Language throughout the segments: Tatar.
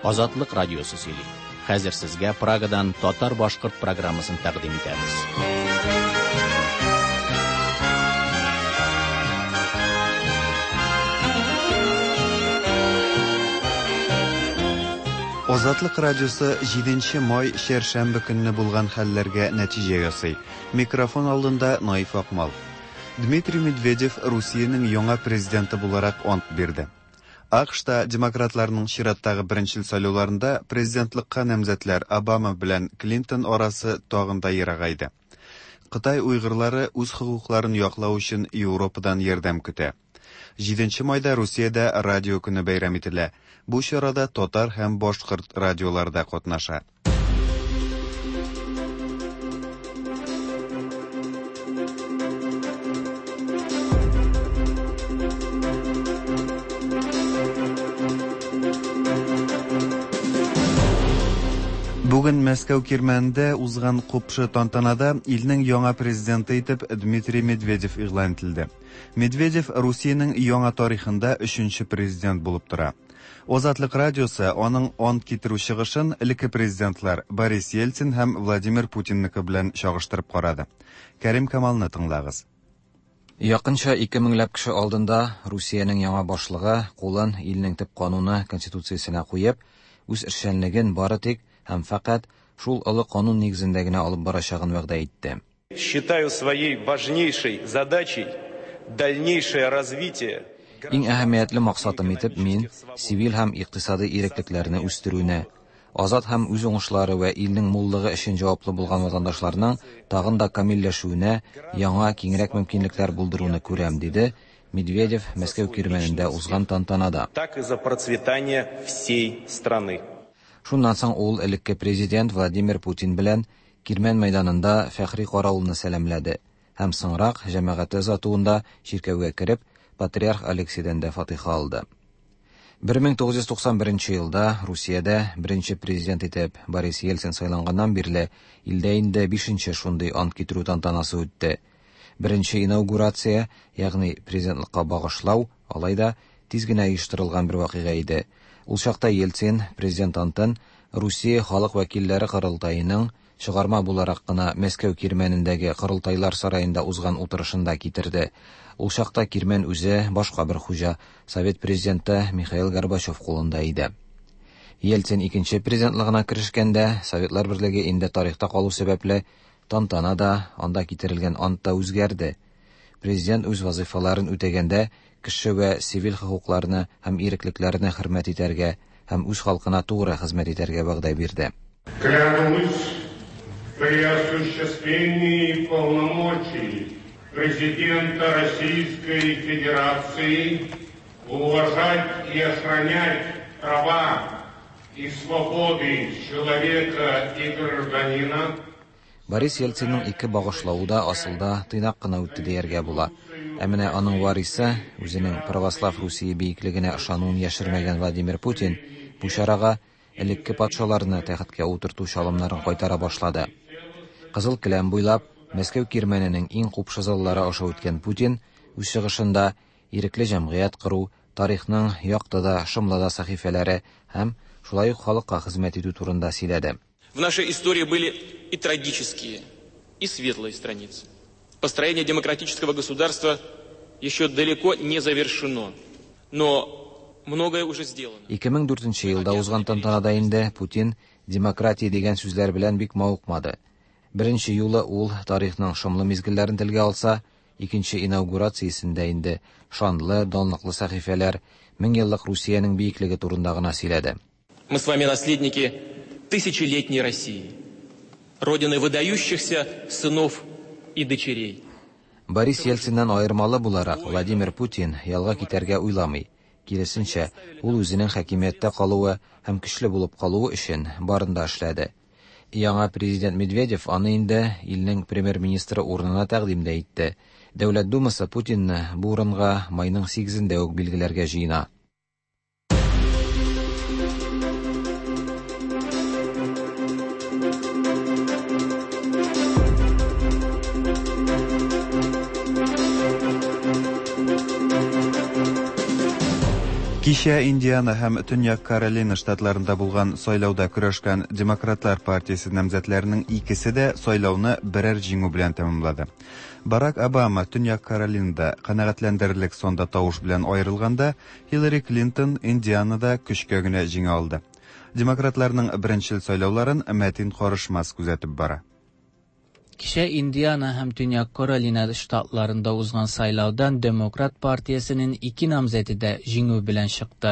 Азатлык радиосы сөйли. Хәзер сезгә Прагадан татар-башкорт программасын тәкъдим итәбез. Азатлык радиосы 7 май чәршәмбе көнне булган хәлләргә нәтиҗә ясый. Микрофон алдында Наиф Акмал. Дмитрий Медведев Русиянең яңа президенты буларак ант бирде. АКШта демократларның чираттагы беренчел сайлауларында президентлыкка намзәтләр Обама белән Клинтон арасы тагын да ерагайды. Кытай уйгырлары үз хокукларын яклау өчен Европадан ярдәм көтә. 7 майда Русиядә радио көне бәйрәм ителә. Бу чарада татар һәм башкорт радиолары да катнаша. Бүген Мәскәү кирмәнендә узган купшы тантанада илнең яңа президенты итеп Дмитрий Медведев игълан ителде. Медведев Русиянең яңа тарихында өченче президент булып тора. Азатлык радиосы аның ант китерү чыгышын элекке президентлар Борис Ельцин һәм Владимир Путинныкы белән чагыштырып карады. Кәрим Камалны тыңлагыз. Якынча 2 меңләп кеше алдында Русиянең яңа башлыгы кулын илнең төп кануны конституциясенә куеп, үз эшчәнлеген бары тик һәм фәкать шул олы канун нигезендә генә алып барачагын вәгъдә итте. Считаю своей важнейшей задачей дальнейшее развитие Иң әһәмиятле максатым итеп мин сивил һәм икътисади иреклекләрне үстерүне, азат һәм үз уңышлары вә илнең муллыгы өчен җаваплы булган ватандашларның тагын да камилләшүенә яңа киңрәк мөмкинлекләр булдыруны күрәм, диде Медведев Мәскәү кирмәнендә узган тантанада. Так и за процветание всей страны. Шуннан соң ул элекке президент Владимир Путин белән Кирмән мәйданында фәхри каравылны сәламләде һәм соңрак җәмәгате озатуында чиркәүгә кереп, патриарх Алексейдән дә фатиха алды. 1991 елда Русиядә беренче президент итеп Борис Ельцин сайланганнан бирле илдә инде бишенче шундый ант китерү тантанасы үтте. Беренче инаугурация, ягъни президентлыкка багышлау, алай да тиз генә оештырылган бер вакыйга иде. Ул чакта Ельцин президент антын Русия халык вәкилләре корылтаеның чыгарма буларак кына Мәскәү кирмәнендәге корылтайлар сараенда узган утырышында китерде. Ул чакта кирмән үзе башка бер хуҗа, Совет президенты Михаил Горбачев кулында иде. Ельцин икенче президентлыгына керешкәндә, Советлар Берлеге инде тарихта калу сәбәпле тантана да, анда китерелгән ант та үзгәрде. Президент үз вазыйфаларын үтәгәндә кеше вә сивил хокукларны һәм иреклекләрне хөрмәт итәргә һәм үз халкына тугры хезмәт итәргә вәгъдә бирде. Клянусь при осуществлении полномочий президента Российской Федерации уважать и охранять права и свободы человека и гражданина. Борис Ельцинның ике багышлавы да асылда тыйнак кына үтте дияргә була. Ә менә аның варисы, үзенең православ Русия биеклегенә ышануын яшермәгән Владимир Путин бу чарага элекке патшаларны тәхеткә утырту чалымнарын кайтара башлады. Кызыл келәм буйлап Мәскәү кирмәненең иң купшы заллары аша үткән Путин үз чыгышында ирекле җәмгыять кору, тарихның якты да, шомлы да сәхифәләре һәм шулай ук халыкка хезмәт итү турында сөйләде. В нашей истории были и трагические, и светлые страницы. Построение демократического государства еще далеко не завершено, но многое уже сделано. 2004 елда узган тантанада инде Путин демократия дигән сүзләр белән бик мавыкмады. Беренче юлы ул тарихның шомлы мизгелләрен телгә алса, икенче инаугурациясендә инде шанлы, данлыклы сәхифәләр, мең еллык Русиянең биеклеге турында гына сөйләде. Мы с вами наследники тысячелетней России, родины выдающихся сынов и дочерей. Борис Ельциннән аермалы буларак Владимир Путин ялга китәргә уйламый. Киресенчә, ул үзенең хакимияттә калуы һәм көчле булып калуы өчен барын да эшләде. Яңа президент Медведев аны инде илнең премьер-министры урынына тәкъдим дә итте. Дәүләт Думасы Путинны бу урынга майның 8-ендә үк билгеләргә җыена. Кичә Индиана һәм Төньяк Каролина штатларында булган сайлауда көрәшкән Демократлар партиясе намзәтләренең икесе дә сайлауны берәр җиңү белән тәмамлады. Барак Обама Төньяк Каролинада канәгатьләндерерлек санда тавыш белән аерылганда, Хиллари Клинтон Индианада көчкә генә җиңә алды. Демократларның беренчел сайлауларын Мәтин Карышмас күзәтеп бара. Кичә Индиана һәм Төньяк Каролина штатларында узган сайлаудан Демократ партиясенең ике намзәте дә җиңү белән чыкты.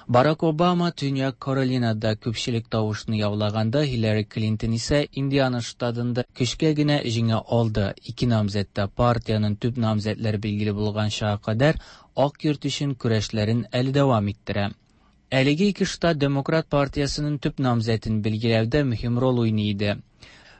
Барак Обама Төньяк Каролинада күпчелек тавышны яулаганда, Хиллари Клинтон исә Индиана штатында көчкә генә җиңә алды. Ике намзәт тә партиянең төп намзәтләре билгеле булганчага кадәр Ак йорт өчен көрәшләрен әле дәвам иттерә. Әлеге ике штат Демократ партиясенең төп намзәтен билгеләүдә мөһим роль уйный иде.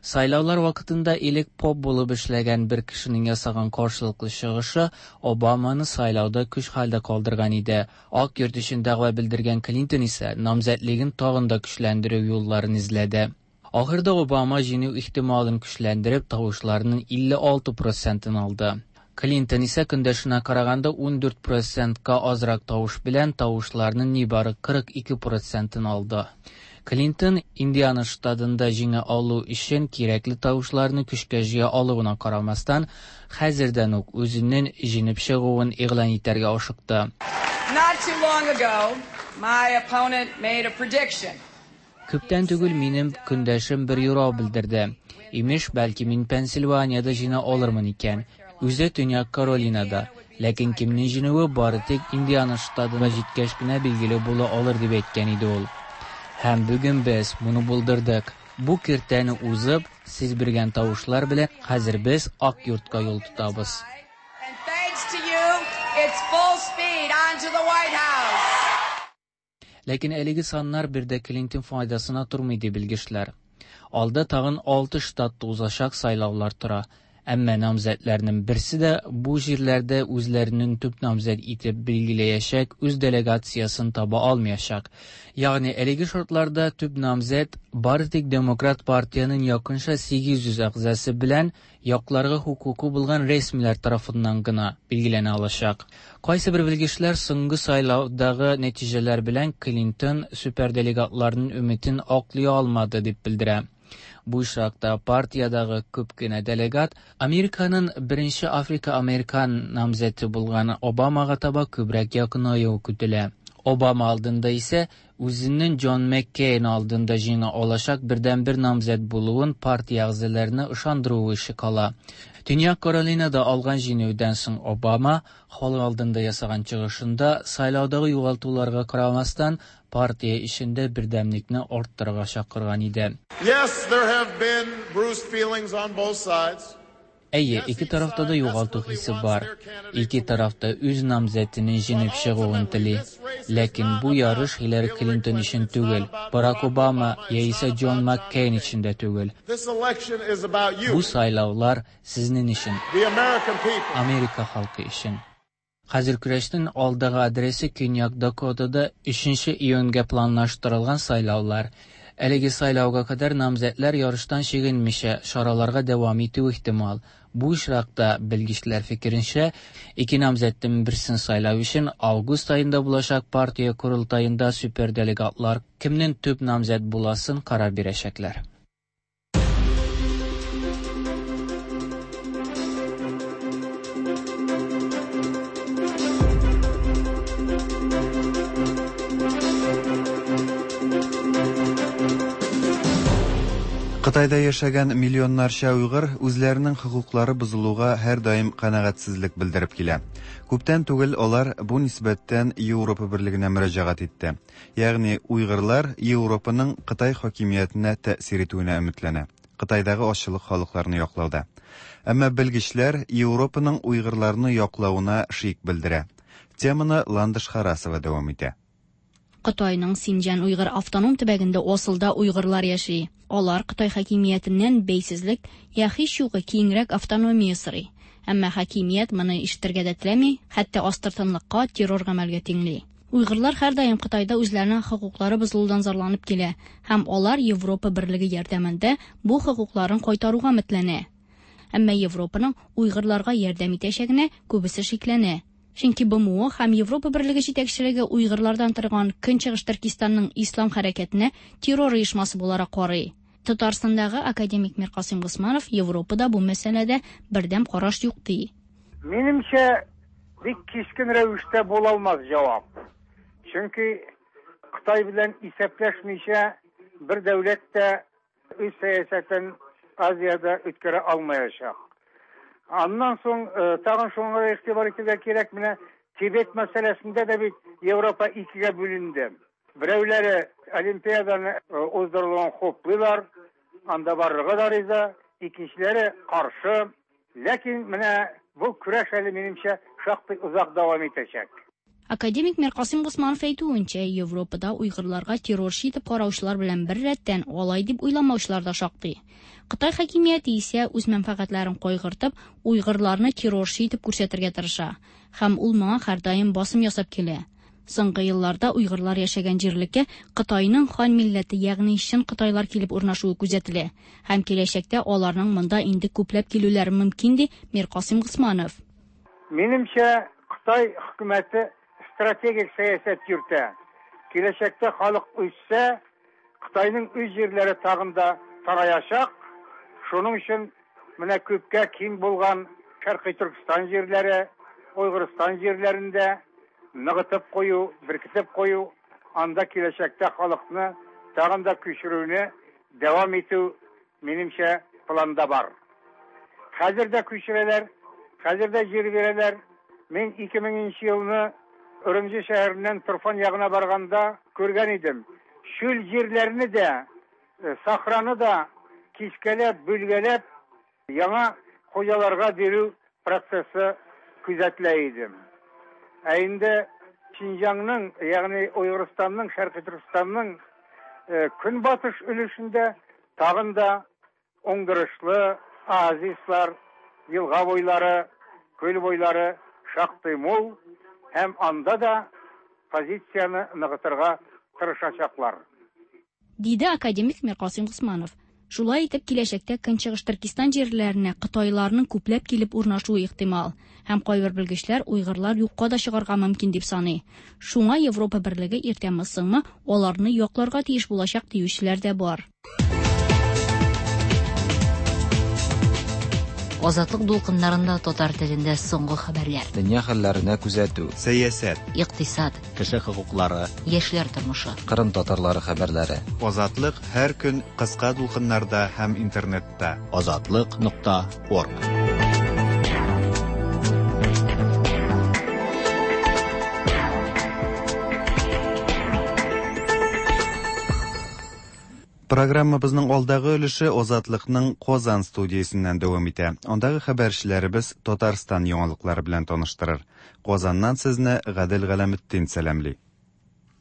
Сайлаулар вакытында элек поп булып эшләгән бер кешенең ясаган каршылыклы чыгышы Обаманы сайлауда көч хәлдә калдырган иде. Ак йорт өчен дәгъва белдергән Клинтон исә намзәтлеген тагын да көчләндерү юлларын эзләде. Ахырда Обама җиңү ихтималын көчләндереп, тавышларның 56 процентын алды. Клинтон исә көндәшенә караганда 14 процентка азрак тавыш белән тавышларның нибары 42 процентын алды. Клинтон Индиана штатында җиңә алу өчен кирәкле тавышларны көчкә җыя алуына карамастан, хәзердән үк үзенең җиңеп чыгуын игълан итәргә ашыкты. Not too long ago, my opponent made a prediction. Күптән түгел минем көндәшем бер юрау белдерде. Имеш, бәлки мин Пенсильваниядә җиңә алырмын икән. Үзе Төньяк Каролинада. Ләкин кемнең җиңүе бары тик Индиана штатына җиткәч кенә билгеле була алыр дип әйткән иде ул. Һәм бүген без моны булдырдык. Бу киртәне узып, сез биргән тавышлар белән хәзер без Ак йортка юл тотабыз. And thanks to you, it's full speed onto the White House. Ләкин әлеге саннар бер дә Клинтон файдасына тормый ди белгечләр. Алда тагын алты штатта узачак сайлаулар тора. Әмма намзәтләрнең берсе дә бу җирләрдә үзләренең төп намзәт итеп билгеләячәк үз делегациясен таба алмаячак. Ягъни әлеге шартларда төп намзәт бары тик Демократ партиянең якынча 800 әгъзасы белән якларга хокукы булган рәсмиләр тарафыннан гына билгеләнә алачак. Кайсы бер белгечләр соңгы сайлаудагы нәтиҗәләр белән Клинтон суперделегатларның өметен аклый алмады дип белдерә. Бу очракта партиядагы күп кенә делегат Американың беренче африка-американ намзәте булган Обамага таба күбрәк якынаюы көтелә. Обама алдында исә үзенең Джон Маккейн алдында җиңә алачак бердәнбер намзәт булуын партия әгъзаларына ышандыруы эше кала. Төньяк Каролинада алган җиңүдән соң Обама халык алдында ясаган чыгышында сайлаудагы югалтуларга карамастан партия эчендә бердәмлекне арттырырга чакырган иде. Yes, there have been bruised feelings on both sides. Әйе, ике тарафта да югалту хисе бар. Ике тараф та үз намзәтенең җиңеп чыгуын тели. Ләкин бу ярыш Хиллари Клинтон өчен түгел, Барак Обама яисә Джон Маккейн өчен дә түгел. This election is about you, Бу сайлаулар сезнең өчен, the American people. Америка халкы өчен. Хәзер көрәшнең алдагы адресы Көньяк Дакотада 3 июньгә планлаштырылган сайлаулар. Әлеге сайлауга кадәр намзәтләр ярыштан чигенмичә чараларга дәвам итү ихтимал. Бу очракта белгечләр фикеренчә, ике намзәтнең берсен сайлау өчен август аенда булачак партия корылтаенда суперделегатлар кемнең төп намзәт буласын карар бирәчәкләр. Кытайда яшәгән миллионнарча уйгыр үзләренең хокуклары бозылуга һәрдаим канәгатьсезлек белдереп килә. Күптән түгел алар бу нисбәттән Европа берлегенә мөрәҗәгать итте. Ягъни уйгырлар Европаның Кытай хакимиятенә тәэсир итүенә өметләнә. Кытайдагы азчылык халыкларны яклауда. Әмма белгечләр Европаның уйгырларны яклавына шик белдерә. Теманы Ландыш Харасова дәвам итә. Кытайның Синҗан уйгыр автоном төбәгендә асылда уйгырлар яши. Алар Кытай хакимиятеннән бәйсезлек я һич югы киңрәк автономия сорый. Әмма хакимият моны ишетергә дә теләми, хәтта астыртынлыкка, террор гамәлгә тиңли. Уйгырлар һәрдаим Кытайда үзләренең хокуклары бозылудан зарланып килә һәм алар Европа берлеге ярдәмендә бу хокукларын кайтаруга өметләнә. Әмма Европаның уйгырларга ярдәм итәчәгенә күбесе шикләнә. Чөнки БМО һәм Европа Берлеге җитәкчелеге уйгырлардан торган Көнчыгыш Төркистанның ислам хәрәкәтенә террор оешмасы буларак карый. Татарстандагы академик Миркасыйм Госманов Европада бу мәсьәләдә бердәм караш юк ди. Минемчә, бик кискен рәвештә була алмас җавап. Чөнки Кытай белән исәпләшмичә бер дәүләт тә үз сәясәтен Азиядә үткәрә алмаячак. Аннан соң тагын шуңа игътибар итәргә кирәк, менә Тибет мәсьәләсендә дә бит Европа икегә бүленде. Берәүләре Олимпиаданы уздырылуын хуплыйлар, анда барырга да риза, икенчеләре каршы. Ләкин менә бу көрәш әле минемчә шактый озак дәвам итәчәк. Академик Миркасыйм Госманов әйтүенчә, Европада уйгырларга террорчы итеп караучылар белән бер рәттән алай дип уйламаучылар да шактый. Кытай хакимияте исә үз мәнфәгатьләрен кайгыртып, уйгырларны террорчы итеп күрсәтергә тырыша. Һәм ул моңа һәрдаим басым ясап килә. Соңгы елларда уйгырлар яшәгән җирлеккә Кытайның хан милләте, ягъни чын кытайлар килеп урнашуы күзәтелә. Һәм киләчәктә аларның монда инде күпләп килүләре мөмкин, ди Миркасыйм Госманов. Минемчә, Кытай хөкүмәте стратегик сәясәт йөртә. Киләчәктә халык үссә, Кытайның үз җирләре тагын да тараячак. Шуның өчен менә күпкә киң булган Шәркый Төркстан җирләре, Уйгырстан җирләрендә ныгытып кую, беркетеп кую, анда киләчәктә халыкны тагын да күчерүне дәвам итү, минемчә, планда бар. Хәзер дә күчерәләр, хәзер дә җир бирәләр. Мин 2000 нче елны Үрүмҗи шәһәреннән Турфан ягына барганда күргән идем. Чүл җирләрне дә, сахраны да кискәләп, бүлгәләп, яңа хуҗаларга бирү процессы күзәтелә иде. Ә инде Шинҗаңның, ягъни Уйгырстанның, Шәркый Төркестанның көнбатыш өлешендә тагын да уңдырышлы оазислар, елга буйлары, күл буйлары шактый мул һәм анда да позицияне ныгытырга тырышачаклар. Диде академик Миркасыйм Госманов. Шулай итеп, киләчәктә Көнчыгыш Төркестан җирләренә кытайларның күпләп килеп урнашуы ихтимал. Һәм кайбер белгечләр уйгырлар юкка да чыгарга мөмкин дип саный. Шуңа Европа Берлеге иртәме-соңмы аларны якларга тиеш булачак диючеләр дә бар. Азатлык дулкыннарында татар телендә соңгы хәбәрләр. Дөнья хәлләренә күзәтү. Сәясәт. Икътисад. Кеше хокуклары. Яшьләр тормышы. Кырым татарлары хәбәрләре. Азатлык һәр көн кыска дулкыннарда һәм интернетта. Азатлык нокта орг. Программабызның алдагы өлеше Азатлыкның Казан студиясеннән дәвам итә. Андагы хәбәрчеләребез Татарстан яңалыклары белән таныштырыр. Казаннан сезне Гадел Галәметдин сәламли.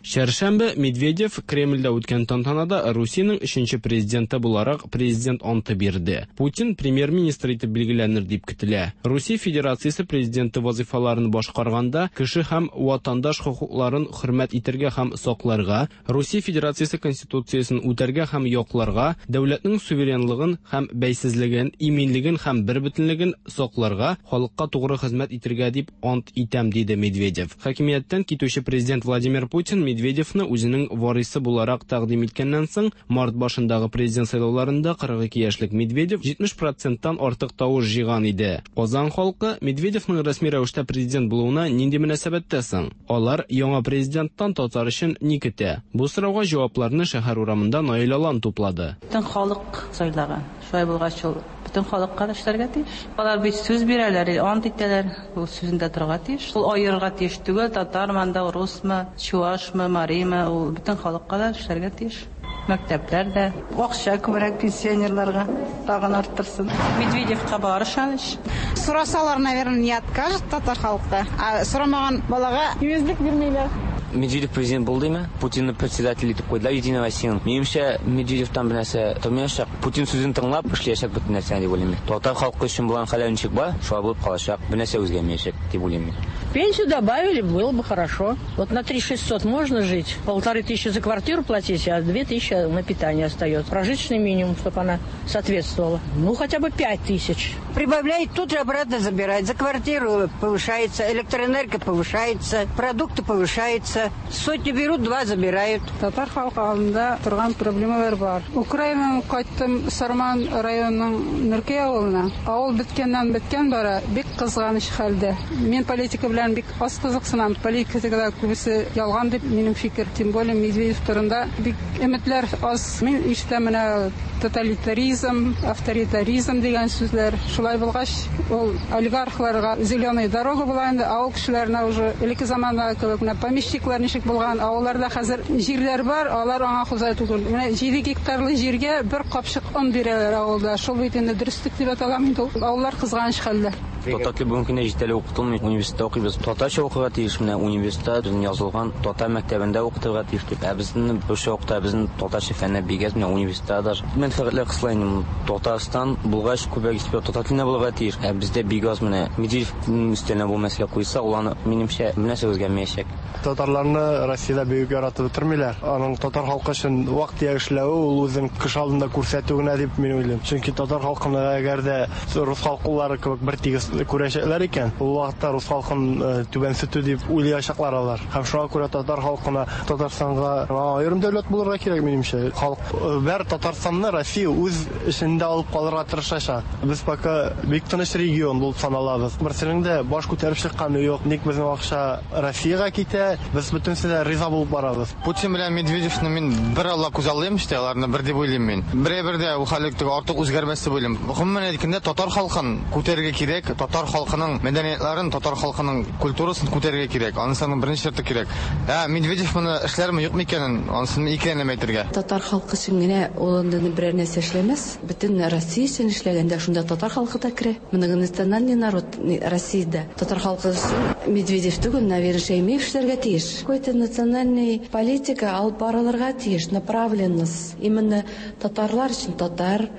Чәршәмбе Медведев Кремльдә үткән тантанада Русиянең өченче президенты буларак президент анты бирде. Путин премьер-министр итеп билгеләнер дип көтелә. Русия Федерациясе президенты вазыйфаларын башкарганда кеше һәм ватандаш хокукларын хөрмәт итәргә һәм сакларга, Русия Федерациясе Конституциясен үтәргә һәм якларга, дәүләтнең суверенлыгын һәм бәйсезлеген, иминлеген һәм бербөтенлеген сакларга, халыкка тугры хезмәт итәргә дип ант итәм, диде Медведев. Хакимияттән китүче президент Владимир Путин Медведевны үзенең варисы буларак тәкъдим иткәннән соң, март башындагы президент сайлауларында 42 яшьлек Медведев 70 проценттан артык тавыш җыйган иде. Казан халкы Медведевның рәсми рәвештә президент булуына нинди мөнәсәбәттә соң? Алар яңа президенттан татар өчен ни көтә? Бу сорауга җавапларны шәһәр урамында Наил Алан туплады. Бөтен халык сайлаган. Шулай булгач, ул бөтен халыкка да эшләргә тиеш. Алар бит сүз бирәләр, ант итәләр, ул сүзендә торырга тиеш. Ул аерырга тиеш түгел, татармы анда, русмы, чуашмы, маримы, ул бөтен халыкка да эшләргә тиеш. Мәктәпләр дә. Акча күбрәк пенсионерларга тагын арттырсын. Медведевка бар ышаныч. Сорасалар, наверное, не откажет татар халкы. Ә сорамаган балага имезлек бирмиләр. Медведев президент булды димме? Путинны председатель итеп куйдылар Единая Россияның. Минемчә, Медведевтан бер нәрсә тормаячак. Путин сүзен тыңлап эшләячәк бөтен нәрсәне дип уйлыйм мин. Татар халкы өчен булган хәлләр ничек бар, шулай булып калачак. Бер нәрсә үзгәрмәячәк дип уйлыйм мин. Пенсию добавили, было бы хорошо. Вот на 3600 можно жить. 1500 за квартиру платить, а 2000 на питание остается. Прожиточный минимум, чтобы она соответствовала. Ну, хотя бы 5000. Прибавляет, тут же обратно забирает. За квартиру повышается, электроэнергия повышается, продукты повышаются. Сотню берут, два забирают. Татар халкы алдында торган проблемалар бар. Украинадан кайттым Сарман районының Нөркәй авылына. Авыл беткәннән беткән бара, бик кызганыч хәлдә. Мин политика белән бик аз кызыксынам. Политикада күбесе ялган дип минем фикер. Тем более Медведев турында бик өметләр аз. Мин ишетәм менә тоталитаризм, авторитаризм дигән сүзләр. Шулай булгач, ул олигархларга зеленая дорога була инде, авыл кешеләренә уже элекке замандагы кебек менә помещиклар ничек булган, авылларда хәзер җирләр бар, алар аңа хуҗа түгел. Менә 7 гектарлы җиргә бер капчык он бирәләр авылда. Шул бит инде дөреслек дип атала инде ул. Авыллар кызганыч хәлдә. Татар теле бүгенге көндә җитәрлек укытылмый. Университетта укыйбыз. Татарча укырга тиеш, менә университетта безнең язылган татар мәктәбендә укытырга тиеш дип. Ә безнең русча укыта, безнең татарча фәннәр бик әз, менә университетта даже. Мәнфәгатьләр кысыла инде. Татарстан булгач, күбрәк эксперт татар телендә булырга тиеш. Ә бездә бик аз менә Медведевның өстәленә бу мәсьәлә куйса, ул аны, минемчә, бернәрсә үзгәрмәячәк. Татарларны Россиядә бик үк яратып бетермиләр. Аның татар халкы өчен вак-төяк эшләве ул үзен кеше алдында күрсәтү генә дип мин уйлыйм. Чөнки татар халкын әгәр дә рус халкылары кебек бер тигез күрәчәкләр икән, ул вакытта рус халкын түбәнсетү дип уйлаячаклар алар. Һәм шуңа күрә татар халкына Татарстанга аерым дәүләт булырга кирәк, минемчә. Халык бәр Татарстанны Россия үз эчендә алып калырга тырышачак. Без пока бик тыныч регион булып саналабыз. Берсенең дә баш күтәреп чыкканы юк. Ник безнең акча Россиягә китә, без бөтенесе дә риза булып барабыз. Путин белән Медведевны мин бер алла күзаллыйм, işte аларны бер дип уйлыйм мин. Берәбер дә ул хәллек теге артык үзгәрмәс дип уйлыйм. Гомумән әйткәндә, татар халкын күтәрергә кирәк, татар халкының мәдәниятларын, татар халкының культурасын күтәрергә кирәк. Анысы аның беренче шарты кирәк. Ә Медведев моны эшләрме, юкмы икәнен, анысын икеләнәм әйтергә. Татар халкы өчен генә ул анда берәр нәрсә эшләмәс. Бөтен Россия өчен эшләгәндә шунда татар халкы да керә. Многонациональный народ Россиядә. Татар халкы өчен Медведев түгел, наверное, Шәймиев эшләргә тиеш. Какой-то национальный политика алып барылырга тиеш, направленность. Именно татарлар өчен татар,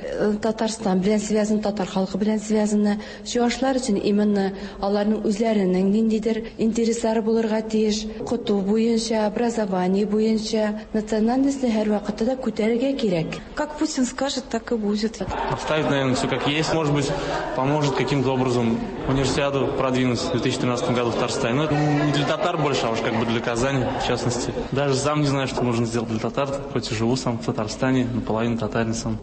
Татарстан белән связан, татар халкы белән связаны. Чуашлар өчен именно аларның үзләренең ниндидер интереслары булырга тиеш. Укыту буенча, образование буенча национальностьны һәрвакытта да күтәрергә кирәк. Как Путин скажет, так и будет. Оставить, наверное, все как есть. Может быть, поможет каким-то образом универсиаду продвинуть в 2013 году в Татарстане. Но это не для татар больше, а уж как бы для Казани, в частности. Даже сам не знаю, что можно сделать для татар, хоть и живу сам в Татарстане, наполовину татарин сам.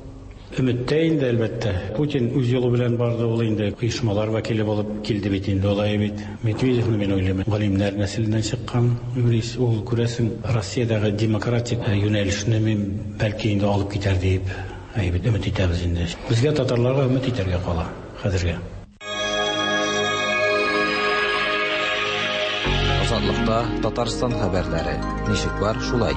Өметтә инде, әлбәттә. Путин үз юлы белән барды, ул инде оешмалар вәкиле булып килде бит инде, алай бит. Медведевны мин уйлыйм, галимнәр нәселеннән чыккан юрист, ул күрәсең Россиядәге демократик юнәлешне мин бәлки инде алып китәр диеп, әйбәт өмет итәбез инде. Безгә татарларга өмет итәргә кала хәзергә. Азатлыкта Татарстан хәбәрләре. Ничек бар, шулай.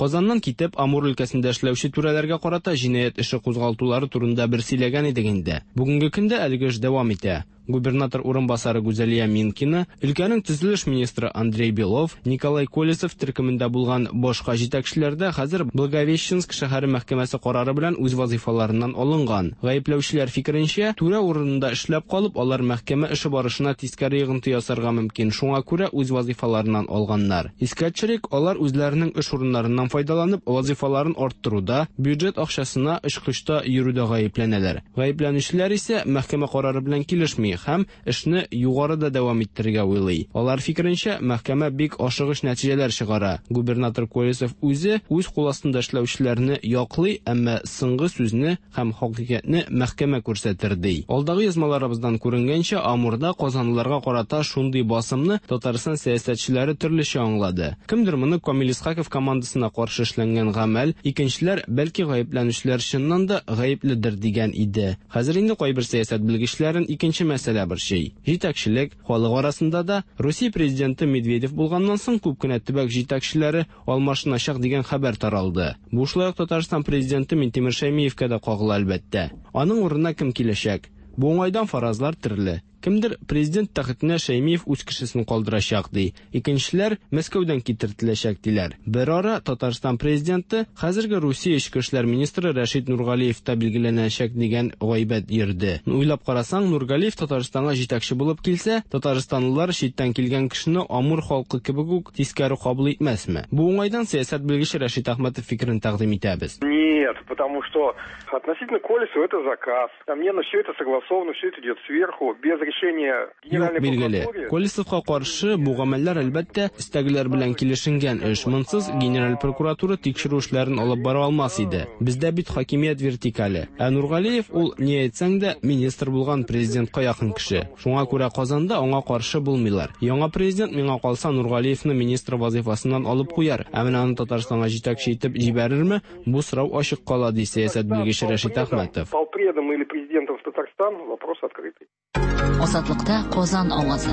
Казаннан китеп, Амур өлкәсендә эшләүче түрәләргә карата җинаять эше кузгалтулары турында бер сөйләгән идек инде. Бүгенге көндә әлеге эш дәвам итә. Губернатор урынбасары Гүзәлия Минкина, өлкәнең төзелеш министры Андрей Белов, Николай Колесов төркемендә булган башка җитәкчеләр дә хәзер Благовещенск шәһәре мәхкәмәсе карары белән үз вазыйфаларыннан алынган. Гаепләүчеләр фикеренчә, түрә урынында эшләп калып, алар мәхкәмә эше барышына тискәре йогынты ясарга мөмкин. Шуңа күрә үз вазыйфаларыннан алганнар. Искә төшерик, алар үзләренең эш урыннарыннан файдаланып, вазыйфаларын арттыруда, бюджет акчасына очкычта йөрүдә гаепләнәләр. Гаепләнүчеләр исә мәхкәмә карары белән килешми һәм эшне югарыда дәвам иттерергә уйлый. Алар фикеренчә, мәхкәмә бик ашыгыч нәтиҗәләр чыгара. Губернатор Колесов үзе үз кул астында эшләүчеләрне яклый, әмма соңгы сүзне һәм хакыйкатьне мәхкәмә күрсәтер ди. Алдагы язмаларыбыздан күренгәнчә, Амурда казанлыларга карата шундый басымны Татарстан сәясәтчеләре төрлечә аңлады. Кемдер моны Камил Исхаков командасына каршы эшләнгән гамәл, икенчеләр бәлки гаепләнүчеләр чыннан да гаепледер дигән иде. Хәзер инде кайбер сәясәт белгечләрен икенче мәсьәлә борчый. Җитәкчелек халык арасында да Русия президенты Медведев булганнан соң күп кенә төбәк җитәкчеләре алмашыначак дигән хәбәр таралды. Бу шулай ук Татарстан президенты Минтимер Шәймиевкә дә кагыла әлбәттә. Аның урынына кем киләчәк? Бу уңайдан фаразлар төрле. Кемдер президент тәхетенә Шәймиев үз кешесен калдырачак ди. Икенчеләр Мәскәүдән китертеләчәк диләр. Берара Татарстан президенты, хәзерге Русия эчке эшләр министры Рәшит Нургалиев та билгеләнәчәк дигән гайбәт йөрде. Уйлап карасаң, Нургалиев Татарстанга җитәкче булып килсә, татарстанлылар читтән килгән кешене Амур халкы кебек үк тискәре кабул итмәсме? Бу уңайдан сәясәт белгече Рәшит Әхмәтов фикерен тәкъдим итәбез. Нет, потому что относительно Колесова это заказ. Несомненно, все это согласовано, все это идет сверху, без решения Юк, билгеле. Колесовка каршы бу гамәлләр, әлбәттә, өстәгеләр белән килешенгән эш. Монсыз Генераль прокуратура тикшерү эшләрен алып бара алмас иде. Бездә бит хакимият вертикале. Ә Нургалиев ул, ни әйтсәң дә, министр булган президентка якын кеше. Шуңа күрә Казанда аңа каршы булмыйлар. Яңа президент, миңа калса, Нургалиевны министр вазыйфасыннан алып куяр. Ә менә аны Татарстанга җитәкче итеп җибәрерме, бу сорау ачык кала, ди сәясәт белгече Рәшит Әхмәтов. Полпредом или президентом в Татарстан вопрос открытый. Азатлыкта Казан авазы.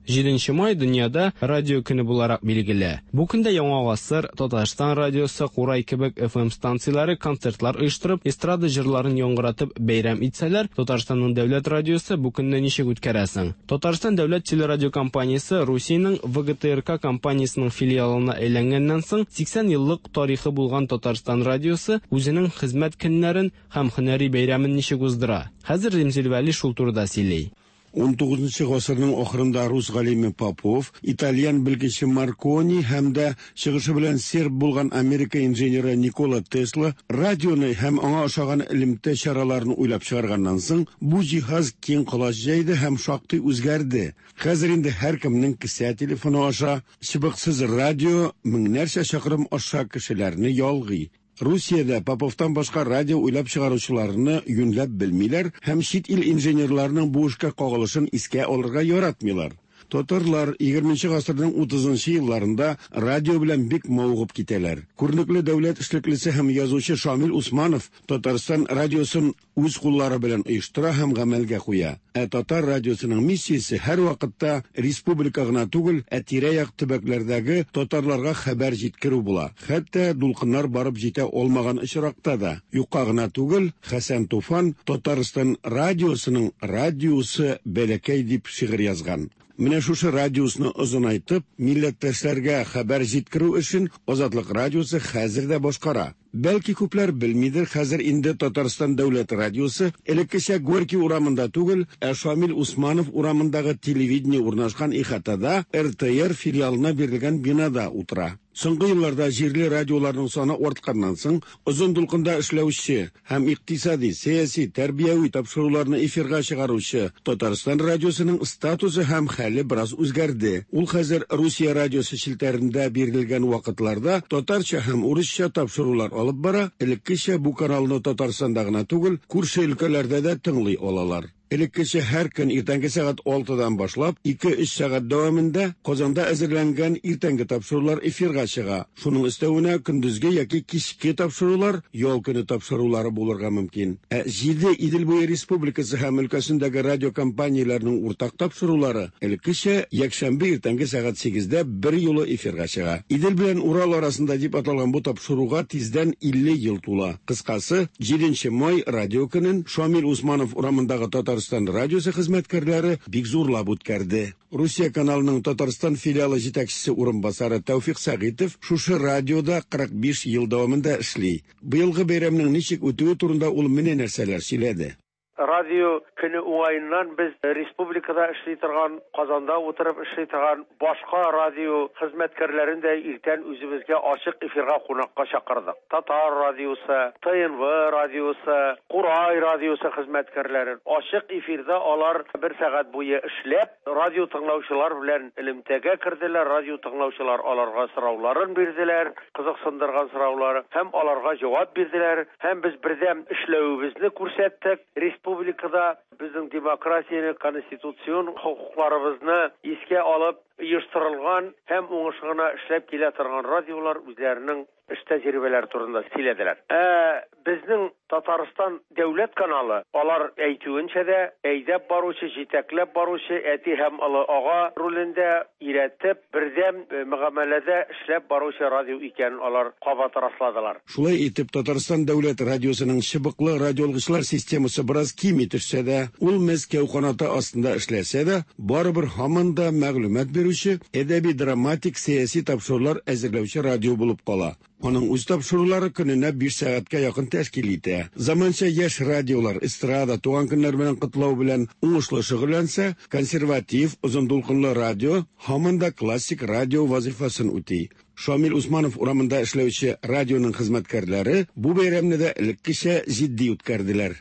7 май дөньяда радио көне буларак билгеле. Бу көндә Яңа гасыр, Татарстан радиосы, Курай кебек FM станцияләре концертлар оештырып, эстрада җырларын яңгыратып бәйрәм итсәләр, Татарстанның дәүләт радиосы бу көнне ничек үткәрәсең? Татарстан дәүләт телерадиокомпаниясе Русиянең ВГТРК компаниясенең филиалына әйләнгәннән соң 80 еллык тарихы булган Татарстан радиосы үзенең хезмәт көннәрен һәм һөнәри бәйрәмен ничек уздыра? Хәзер Римзил Вәли шул турыда сөйли. 19 гасырның ахырында рус галиме Попов, итальян белгече Маркони һәм дә чыгышы белән серб булган Америка инженеры Никола Тесла радионы һәм аңа ошаган элемтә чараларын уйлап чыгарганнан соң, бу җиһаз киң колач җәйде һәм шактый үзгәрде. Хәзер инде һәркемнең кесә телефоны аша чыбыксыз радио меңнәрчә чакрым аша кешеләрне ялгый. Русиядә Поповтан башка радио уйлап чыгаручыларны юньләп белмиләр һәм чит ил инженерларының бу эшкә кагылышын искә алырга яратмыйлар. Татарлар 20 гасырның 30 елларында радио белән бик мавыгып китәләр. Күренекле дәүләт эшлеклесе һәм язучы Шамил Усманов Татарстан радиосын үз куллары белән оештыра һәм гамәлгә куя. Ә татар радиосының миссиясе һәр вакытта республика гына түгел, ә тирә-як төбәкләрдәге татарларга хәбәр җиткерү була. Хәтта дулкыннар барып җитә алмаган очракта да. Юкка гына түгел, Хәсән Туфан Татарстан радиосының радиусы бәләкәй дип шигырь язган. Менә шушы радиусны озынайтып, милләттәшләргә хәбәр җиткерү эшен Азатлык радиосы хәзер дә башкара. Бәлки күпләр белмидер, хәзер инде Татарстан дәүләт радиосы элеккечә Горький урамында түгел, ә Шамил Усманов урамындагы телевидение урнашкан ихатада РТР филиалына бирелгән бинада утыра. Соңгы елларда җирле радиоларның саны артканнан соң, озын дулкында эшләүче һәм икътисади, сәяси, тәрбияви тапшыруларны эфирга чыгаручы Татарстан радиосының статусы һәм хәле бераз үзгәрде. Ул хәзер Русия радиосы челтәрендә бирелгән вакытларда татарча һәм урысча тапшырулар алып бара, элеккечә бу каналны Татарстанда гына түгел, күрше өлкәләрдә дә тыңлый алалар. Элеккечә һәр көн иртәнге сәгать 6-дан башлап 2-3 сәгать дәвамында Казанда әзерләнгән иртәнге тапшырулар эфирга чыга. Шуның өстәвенә көндезге яки кичке тапшырулар, ял көне тапшырулары булырга мөмкин. Ә 7 Идел буе республикасы һәм өлкәсендәге радиокомпанияләрнең уртак тапшырулары элеккечә якшәмбе иртәнге сәгать 8-дә бер юлы эфирга чыга. Идел белән Урал арасында дип аталган бу тапшыруга тиздән 50 ел тула. Кыскасы, 7 май радио көнен Шамил Усманов урамындагы Татарстан радиосы хезмәткәрләре бик зурлап үткәрде. Русия каналының Татарстан филиалы җитәкчесе урынбасары Тәүфик Сәгыйтов шушы радиода 45 ел дәвамында эшли. Быелгы бәйрәмнең ничек үтүе турында ул менә нәрсәләр сөйләде. Радио көне уңаеннан без республикада эшли торган, Казанда утырып эшли торган башка радио хезмәткәрләрен дә иртән үзебезгә ачык эфирга кунакка чакырдык. Татар радиосы, ТНВ радиосы, Курай радиосы хезмәткәрләрен ачык эфирда алар бер сәгать буе эшләп, радио тыңлаучылар белән элемтәгә керделәр, радио тыңлаучылар аларга сорауларын бирделәр, кызыксындырган сораулары һәм аларга җавап бирделәр, һәм без бердәм эшләвебезне күрсәттек. Республикада Безнең демократияне, конституцион хокукларыбызны искә алып оештырылган һәм уңышлы гына эшләп килә торган радиолар үзләренең эш тәҗрибәләре турында сөйләделәр. Ә безнең Татарстан дәүләт каналы, алар әйтүенчә дә, әйдәп баручы, җитәкләп баручы әти һәм олы ага ролендә өйрәтеп, бердәм мөгамәләдә эшләп баручы радио икәнен алар кабат расладылар. Шулай итеп, Татарстан дәүләт радиосының чыбыклы радиоалгычлар системасы бераз кими төшсә дә, ул Мәскәү канаты астында эшләсә дә, барыбер һаман да мәгълүмат бирүче, әдәби-драматик, сәяси тапшырулар әзерләүче радио булып кала. Аның үз тапшырулары көненә 5 сәгатькә якын тәшкил итә. Заманча яшь радиолар эстрада, туган көннәр белән котлау белән уңышлы шөгыльләнсә, консерватив, озын дулкынлы радио һаман да классик радио вазифасын үти. Шамил Усманов урамында эшләүче радионың хезмәткәрләре бу бәйрәмне дә элеккечә җитди үткәрделәр.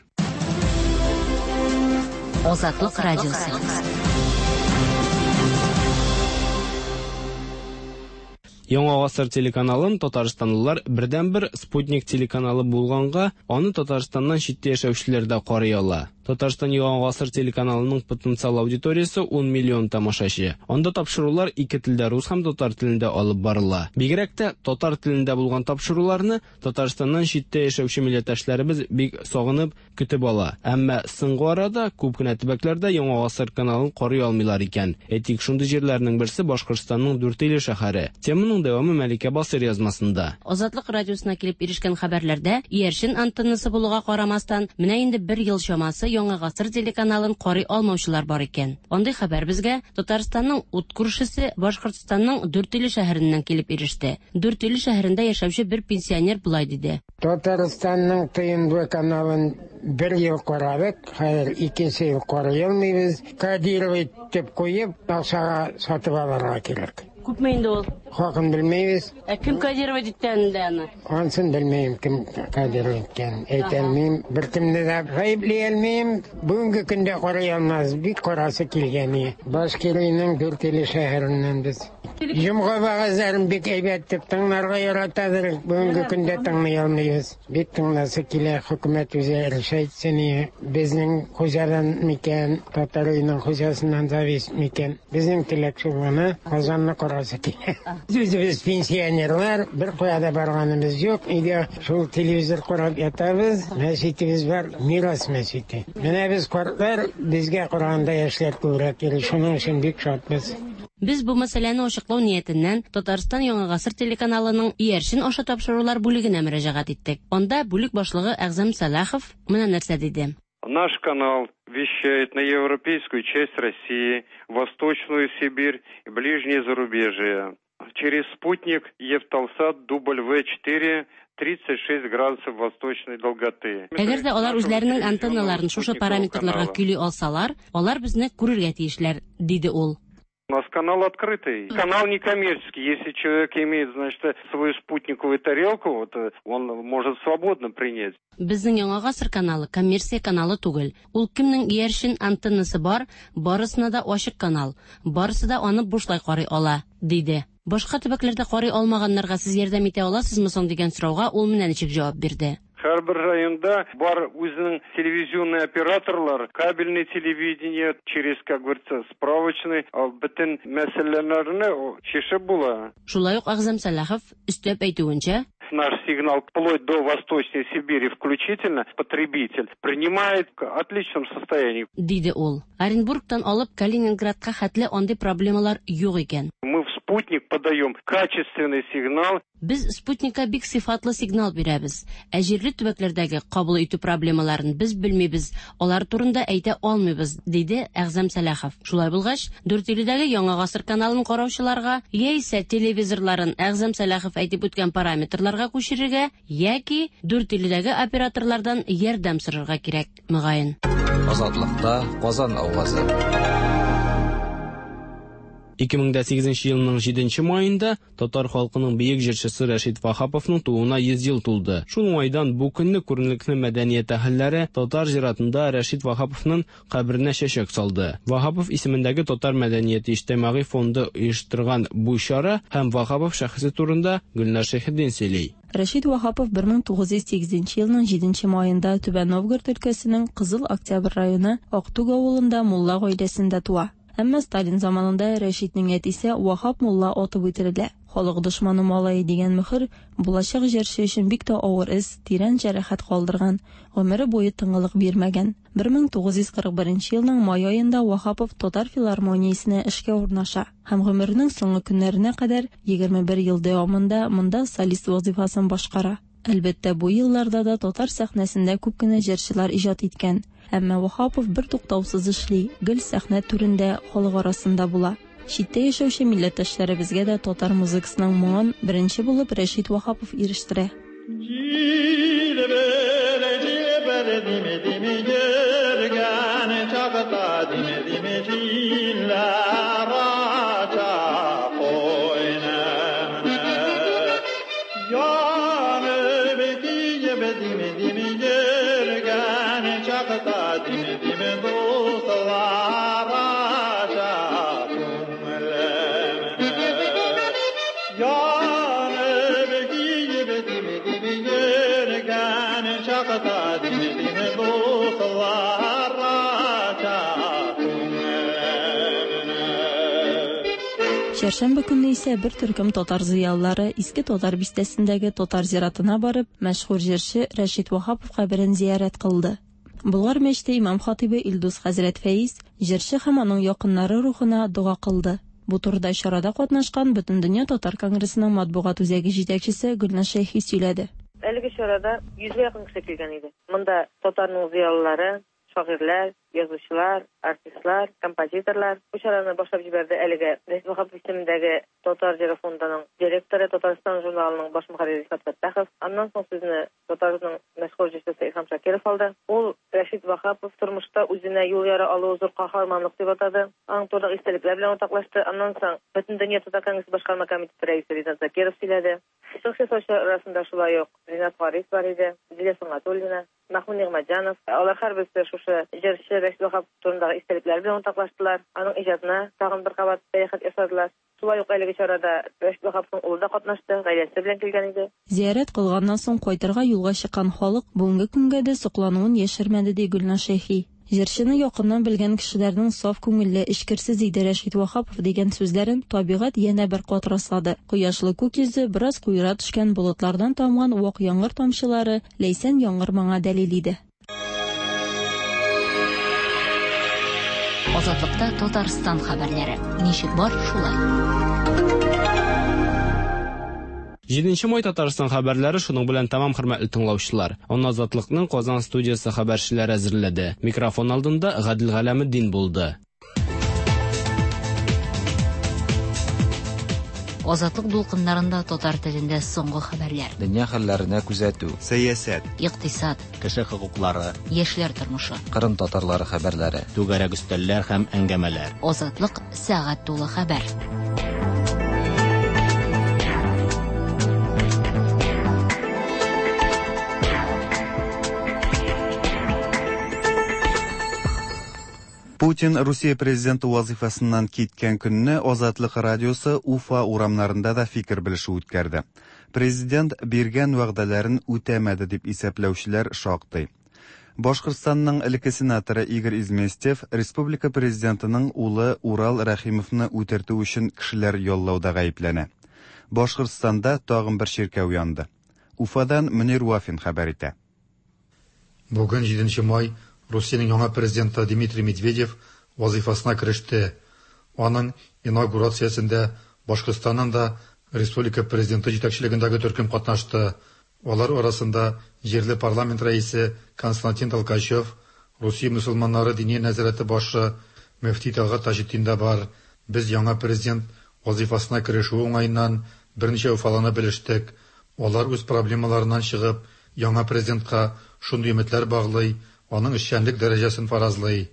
Азатлык радиосы. Яңа гасыр телеканалын татарстанлылар бердәнбер спутник телеканалы булганга, аны Татарстаннан читтә яшәүчеләр дә карый ала. Татарстан Яңа гасыр телеканалының потенциал аудиториясе 10 миллион тамашачы. Анда тапшырулар ике телдә, рус һәм татар телендә алып барыла. Бигрәк тә татар телендә булган тапшыруларны Татарстаннан читтә яшәүче милләттәшләребез бик сагынып көтеп ала. Әмма соңгы арада күп кенә төбәкләрдә Яңа гасыр каналын карый алмыйлар икән. Әйтик, шундый җирләрнең берсе Башкортстанның Дүртөйле шәһәре. Теманың дәвамы Мәликә Басыр язмасында. Азатлык радиосына килеп ирешкән хәбәрләрдә иярчен антеннасы булуга карамастан, менә инде бер ел чамасы Яңа гасыр телеканалын карый алмаучылар бар икән. Андый хәбәр безгә Татарстанның ут күршесе Башкортстанның Дүртөйле шәһәреннән килеп иреште. Дүртөйле шәһәрендә яшәүче бер пенсионер болай диде. Татарстанның ТНВ каналын бер ел карадык, хәзер икенче ел карый алмыйбыз. Кодировать итеп куеп, акчага сатып алырга кирәк. Күпме инде ул? Хакын белмибез. Ә кем кодировать иткән инде аны? Ансын белмим, кем кодировать иткән. Әйтә алмыйм, беркемне дә гаепли алмыйм. Бүгенге көндә карый алмас, бик карасы килгән. Башкириянең Дүртөйле шәһәреннән без. Җомга вәгазьләрен бик әйбәт дип тыңларга яратадыр. Бүгенге көндә тыңлый алмыйбыз. Бик тыңласы килә, хөкүмәт үзе решать итсен. Безнең хуҗадан микән, татар өенең хуҗасыннан зависит микән. Безнең теләк шул гына, Казанны карасы килә. Үзебез пенсионерлар, бер кая да барганыбыз юк. Өйдә шул телевизор карап ятабыз. Мәчетебез бар, Мирас мәчете. Менә без картлар, безгә караганда яшьләр күбрәк йөри. Шуның өчен бик шатбыз. Без бу мәсьәләне ачыклау ниятеннән Татарстан Яңа гасыр телеканалының иярчен аша тапшырулар бүлегенә мөрәҗәгать иттек. Анда бүлек башлыгы Әгъзам Сәлахов менә нәрсә диде. Наш канал вещает на европейскую часть России, Восточную Сибирь и ближнее зарубежье. Через спутник Евталсат W4 36 градусов восточной долготы. Әгәр дә алар үзләренең антенналарын шушы параметрларга көйли алсалар, алар безне күрергә тиешләр, диде ул. У нас канал открытый. Канал некоммерческий. Если человек имеет, значит, свою спутниковую тарелку, вот, он может свободно принять. Безнең Яңа гасыр каналы коммерция каналы түгел. Ул кемнең иярчен антеннасы бар, барысына да ачык канал. Барысы да аны бушлай карый ала, диде. Башка төбәкләрдә карый алмаганнарга сез ярдәм итә аласызмы соң дигән сорауга ул менә ничек җавап бирде. Һәрбер районда бар үзенең телевизионный операторлар, кабельный телевидение, через, как говорится, справочный, бөтен мәсьәләләрне чишеп була. Шулай ук Әгъзам Сәлахов өстәп әйтүенчә, наш сигнал вплоть до Восточной Сибири включительно потребитель принимает в отличном состоянии. Диде ул. Оренбургтан алып Калининградка хәтле андый проблемалар юк икән. Мы в спутник подаем качественный сигнал. Без спутникка бик сыйфатлы сигнал бирәбез. Ә җирле төбәкләрдәге кабул итү проблемаларын без белмибез, алар турында әйтә алмыйбыз, диде Әгъзам Сәлахов. Шулай булгач, Дүртөйледәге Яңа гасыр каналын караучыларга яисә телевизорларын Әгъзам Сәлахов әйтеп үткән параметрларга күчерергә яки Дүртөйледәге операторлардан ярдәм сорарга кирәк, мөгаен. Азатлыкта Казан авазы. 2008 елның 7 маенда татар халкының бөек җырчысы Рәшит Ваһаповның тууына 100 ел тулды. Шул уңайдан бу көнне күренекле мәдәният әһелләре татар зиратында Рәшит Ваһаповның каберенә чәчәк салды. Ваһапов исемендәге Татар мәдәнияте иҗтимагый фонды оештырган бу чара һәм Ваһапов шәхесе турында Гөлнар Шәйхетдин сөйли. Рәшит Ваһапов 1908 елның 7 маенда Түбән Новгород өлкәсенең Кызыл Октябрь районы Актүк авылында мулла гаиләсендә туа. Әмма Сталин заманында Рәшитнең әтисе Ваһап мулла атып үтерелә. Халык дошманы малае дигән мөхер булачак җырчы өчен бик тә авыр эз, тирән җәрәхәт калдырган, гомере буе тынгылык бирмәгән. 1941 елның май аенда Ваһапов Татар филармониясенә эшкә урнаша һәм гомеренең соңгы көннәренә кадәр 21 ел дәвамында монда солист вазифасын башкара. Әлбәттә, бу елларда да татар сәхнәсендә күп кенә җырчылар иҗат иткән. Әмма Ваһапов бертуктаусыз эшли, гел сәхнә түрендә, халык арасында була. Читтә яшәүче милләттәшләребезгә дә татар музыкасының моңын беренче булып Рәшит Ваһапов ирештерә. Чәршәмбе көнне исә бер төркем татар зыялылары Иске Татар бистәсендәге татар зиратына барып, мәшһүр җырчы Рәшит Ваһапов каберен зиярәт кылды. Болгар мәчете имам-хатыйбы Илдус хәзрәт Фәиз җырчы һәм аның якыннары рухына дога кылды. Бу турыда чарада катнашкан Бөтендөнья татар конгрессының матбугат үзәге җитәкчесе Гөлназ Шәйхи сөйләде. Әлеге чарада йөзгә якын кеше килгән иде. Монда татарның зыялылары, шагыйрьләр, язучылар, артистлар, композиторлар. Бу чараны башлап җибәрде әлеге Рәшит Ваһапов исемендәге Татар җыры фондының директоры, Татарстан журналының баш мөхәррире Рифат Фәттахов. Аннан соң сүзне татарның мәшһүр җырчысы Илһам Шакиров алды. Ул Рәшит Ваһапов тормышта үзенә юл яра алуы зур каһарманлык дип атады. Аның турындагы истәлекләр белән уртаклашты. Аннан соң Бөтендөнья татар конгрессы башкарма комитеты рәисе Ринат Закиров сөйләде. Чыгыш ясаучылар арасында шулай ук Ринат Харис бар иде, Зилә Сөнгатуллина, Мәхмүт Нигъмәтҗанов. Алар һәрберсе шушы җырчы Рәшит Ваһапов турындагы истәлекләре белән уртаклаштылар, аның иҗатына тагын бер кабат сәяхәт ясадылар. Шулай ук әлеге чарада Рәшит Ваһаповның улы да катнашты, гаиләсе белән килгән иде. Зиярәт кылганнан соң кайтырга юлга чыккан халык бүгенге көнгә дә соклануын яшермәде, ди Гөлназ Шәйхи. Җырчыны якыннан белгән кешеләрнең саф күңелле, эчкерсез иде Рәшит Ваһапов дигән сүзләрен табигать янә бер кат раслады. Кояшлы күк йөзе, бераз куера төшкән болытлардан тамган вак яңгыр тамчылары ләйсән яңгыр моңа дәлил иде. Азатлыкта Татарстан хәбәрләре. Ничек бар, шулай. Җиденче май Татарстан хәбәрләре шуның белән тәмам, хөрмәтле тыңлаучылар. Аны Азатлыкның Казан студиясе хәбәрчеләре әзерләде. Микрофон алдында Гадел Галәметдин булды. Азатлык дулкыннарында татар телендә соңгы хәбәрләр. Дөнья хәлләренә күзәтү. Сәясәт. Икътисад. Кеше хокуклары. Яшьләр тормышы. Кырым татарлары хәбәрләре. Түгәрәк өстәлләр һәм әңгәмәләр. Азатлык сәгать тулы хәбәр. Путин Русия президенты вазыйфасыннан киткән көнне Азатлык радиосы Уфа урамнарында да фикер белешү үткәрде. Президент биргән вәгъдәләрен үтәмәде дип исәпләүчеләр шактый. Башкортстанның элекке сенаторы Игорь Изместьев республика президентының улы Урал Рәхимовны үтертү өчен кешеләр яллауда гаепләнә. Башкортстанда тагын бер чиркәү янды. Уфадан Мөнир Вафин хәбәр итә. Бүген, җиденче май, Русиянең яңа президенты Дмитрий Медведев вазыйфасына кереште. Аның инаугурациясендә Башкортстаннан да республика президенты җитәкчелегендәге төркем катнашты. Алар арасында җирле парламент рәисе Константин Толкачев, Русия мөселманнары Диния нәзарәте башы мөфти Тәлгать Таҗетдин дә бар. Без яңа президент вазыйфасына керешүе уңаеннан берничә уфалыны белештек. Алар үз проблемаларыннан чыгып, яңа президентка шундый өметләр баглый, аның эшчәнлек дәрәҗәсен фаразлый.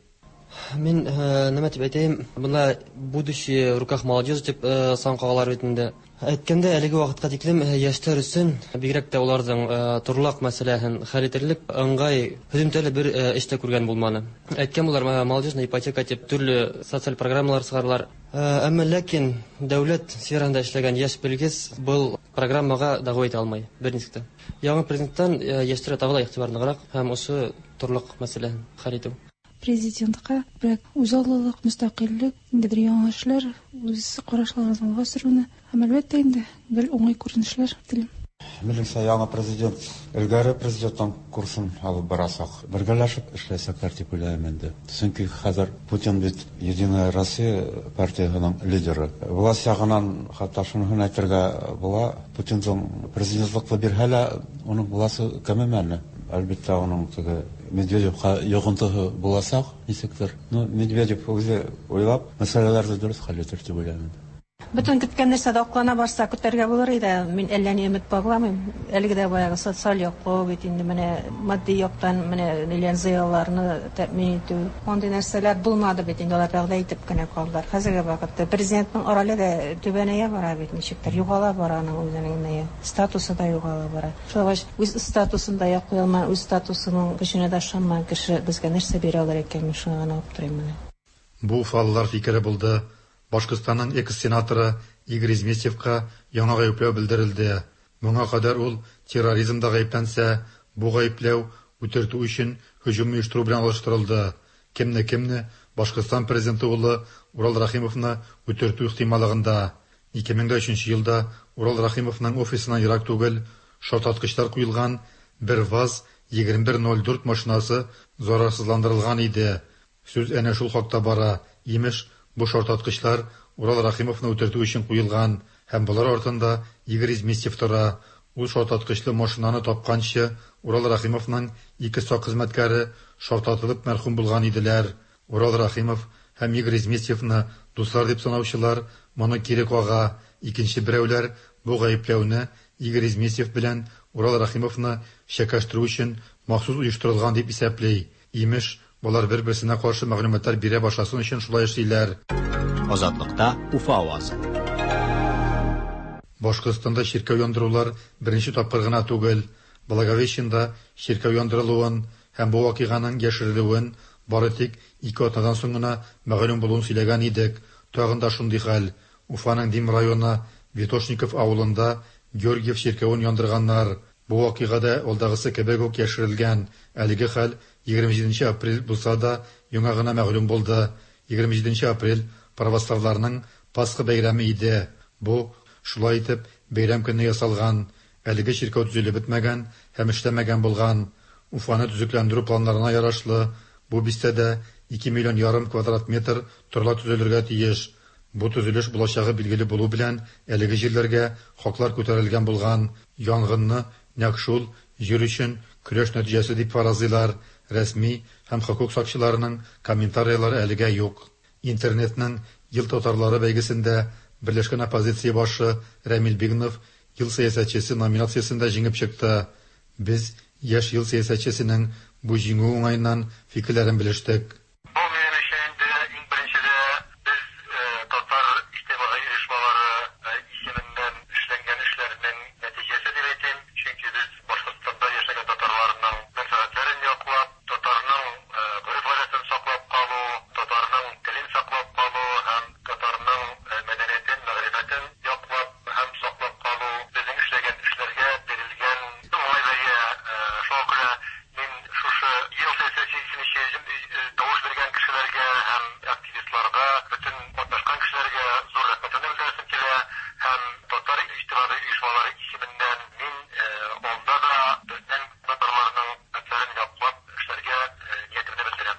Мин, нәмә дип әйтәем, монда будущее в руках молодежи дип сан кагалар бит инде. Әйткәндә, әлеге вакытка тиклем яшьләр өчен, бигрәк тә уларның торлак мәсьәләһен хәл итерлек ыңгай һөҙөмтәле бер эш тә күргән булманы. Әйткән булар, молодежная ипотека дип төрле социаль программалар сығаралар. Әмма ләкин дәүләт сферасында эшләгән яшь белгес был программага дәғүә итә алмай бер нисек тә. Яңы президенттан яшьләргә тағы ла игътибар ныграк һәм ошо торлак мәсьәләһен хәл итеү. Президентка күбрәк үзаллылык, мөстәкыйльлек, ниндидер яңа эшләр, үз карашларын алга сөрүне һәм, әлбәттә инде, гел уңай күренешләр телим. Минемчә, яңа президент элгәре президенттан курсын алып барачак. Бергәләшеп эшләячәкләр дип уйлыйм инде. Чөнки хәзер Путин бит Единая Россия партиясенең лидеры. Власть ягыннан хәтта шунысын әйтергә була, Путинның президентлыкны бирһә лә, уның власте кәмемәне. Әлбәттә, уның теге Медведевка йогынтысы булачак, ничектер. Ну, Медведев үзе уйлап, мәсьәләләрне дөрес хәл итер дип уйлыйм инде. Бөтен көткән нәрсә дә аклана барса, көтәргә булыр иде. Мин әллә ни өмет багламыйм. Әлеге дә баягы социаль яклау бит инде менә матди яктан менә ниләр зыялыларны тәэмин итү. Андый нәрсәләр булмады бит инде, алар вәгъдә итеп кенә калдылар. Хәзерге вакытта президентның роле дә түбәнәя бара бит ничектер, югала бара аның үзенең ние, статусы да югала бара. Шулай булгач, үз статусын да яклый алмаган, үз статусының көченә дә ышанмаган кеше безгә нәрсә бирә алыр икән, мин шуңа гына аптырыйм менә. Бу уфалылар фикере булды. Башкортстанның экс-сенаторы Игорь Изместьевка яңа гаепләү белдерелде. Моңа кадәр ул терроризмда гаепләнсә, бу гаепләү үтертү өчен һөҗүм оештыру белән алыштырылды. Кемне-кемне, Башкортстан президенты улы Урал Рәхимовны үтертү ихтималлыгында. 2003 елда Урал Рәхимовның офисыннан ерак түгел шартлаткычлар куелган бер ВАЗ 2104 машинасы зарарсызландырылган иде. Сүз әнә шул хакта бара. Имеш, бу шартлаткычлар Урал Рәхимовны үтертү өчен куелган һәм болар артында Игорь Изместьев тора. Ул шартлаткычлы машинаны тапканчы Урал Рәхимовның ике сак хезмәткәре шартлатылып мәрхүм булган иделәр. Урал Рәхимов һәм Игорь Изместьевны дуслар дип санаучылар моны кире кага, икенче берәүләр бу гаепләүне Игорь Изместьев белән Урал Рәхимовны чәкәштерү өчен махсус оештырылган дип исәпли. Имеш, болар бер-берсенә каршы мәгълүматлар бирә башласын өчен шулай эшлиләр. Азатлыкта Уфа авазы. Башкортстанда чиркәү яндырулар беренче тапкыр гына түгел. Благовещенда чиркәү яндырылуын һәм бу вакыйганың яшерелүен бары тик ике атнадан соң гына мәгълүм булуын сөйләгән идек. Тагын да шундый хәл. Уфаның Дим районы Витошников авылында Георгиев чиркәвен яндырганнар. Бу вакыйга да алдагысы кебек үк яшерелгән. Әлеге хәл 27 нче апрель булса да, яңа гына мәгълүм булды. 27 нче апрель православларның Пасха бәйрәме иде. Бу, шулай итеп, бәйрәм көнне ясалган. Әлеге чиркәү төзелеп бетмәгән һәм эшләмәгән булган. Уфаны төзекләндерү планнарына ярашлы, бу бистәдә ике миллион ярым квадрат метр торлак төзелергә тиеш. Бу төзелеш булачагы билгеле булу белән, әлеге җирләргә хаклар күтәрелгән булган. Янгынны нәкъ шул җир өчен көрәш нәтиҗәсе дип фаразлыйлар. Рәсми һәм хокук сакчыларының комментарийлары әлегә юк. Интернетның Ел татарлары бәйгесендә Берләшкән оппозиция башы Рәмил Бигнов Ел сәясәтчесе номинациясендә җиңеп чыкты. Без яшь ел сәясәтчесенең бу җиңүе уңаеннан фикерләрен белештек. Бу минем өчен инде иң беренчедә без татар иҗтимагый оешмалары исеменнән эшләнгән эшләрнең нәтиҗәсе дип әйтим. Чөнки без Башкортстанда яшәгән татарларның мәнфәгатьләрен яклап, татарның гореф-гадәтен саклап калу, татарның телен саклап калу һәм татарның мәдәниятен, мәгърифәтен яклап һәм саклап калу, безнең эшләгән эшләргә бирелгән уңай бәя. Шуңа күрә мин шушы Ел сәясәтчесе тавыш биргән кешеләргә һәм активистларга, бөтен катнашкан кешеләргә зур рәхмәтемне белдерәсем килә һәм татар иҗтимагый оешмалары исеменнән мин алда да безнең татарларның мәнфәгатьләрен яклап эшләргә ниятемне белдерәм.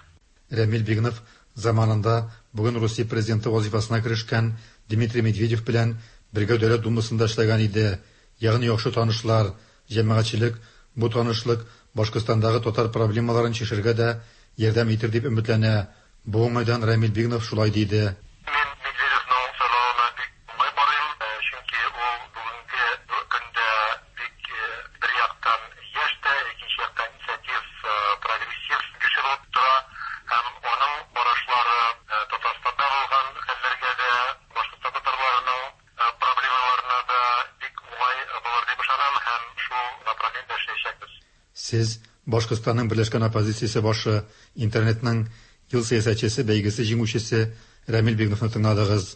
Рәмил Бигнов заманында бүген Русия президенты вазыйфасына керешкән Дмитрий Медведев белән бергә Дәүләт Думасында эшләгән иде. Ягъни яхшы танышлар. Җәмәгатьчелек бу танышлык Башкортстандагы татар проблемаларын чишергә дә ярдәм итер дип өметләнә. Бу уңайдан Рәмил Бигнов шулай диде. Мин Медведевның сайлавына бик уңай карыйм, чөнки ул бүгенге көндә бик бер яктан яшь тә, икенче яктан инициатив, прогрессив кеше булып тора һәм аның карашлары Татарстанда булган хәлләргә дә, Башкортстан татарларының проблемаларына да Сез Башкортстанның берләшкән оппозициясе башы, интернетның Ел сәясәтчесе бәйгесе җиңүчесе Рәмил Бигновны тыңладыгыз.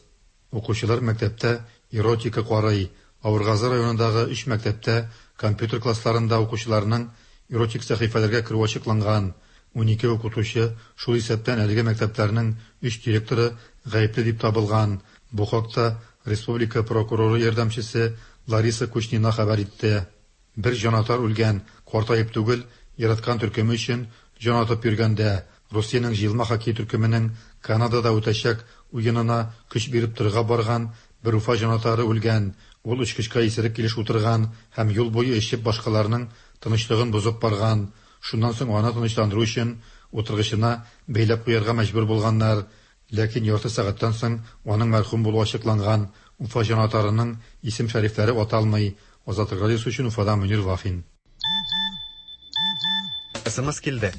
Укучылар мәктәптә эротика карый. Авыргазы районындагы өч мәктәптә компьютер классларында укучыларның эротик сәхифәләргә керүе ачыкланган. 12 укытучы, шул исәптән әлеге мәктәпләрнең өч директоры гаепле дип табылган. Бу хакта республика прокуроры ярдәмчесе Лариса Кучнина хәбәр итте. Бер җанатар үлгән, картаеп түгел, яраткан төркеме өчен җан атып йөргәндә, Русиянең җыелма хоккей төркеменең Канадада үтәчәк уенына көч биреп торырга барган бер Уфа җанатары үлгән. Ул очкычка исерек килеш утырган һәм юл буе эчеп башкаларның тынычлыгын бозып барган. Шуннан соң аны тынычландыру өчен утыргычына бәйләп куярга мәҗбүр булганнар. Ләкин ярты сәгатьтән соң аның мәрхүм булуы ачыкланган. Уфа җанатарының исем-шәрифләре аталмый. Азатлык радиосы өчен Уфадан Мөнир Вафин. СМС килде.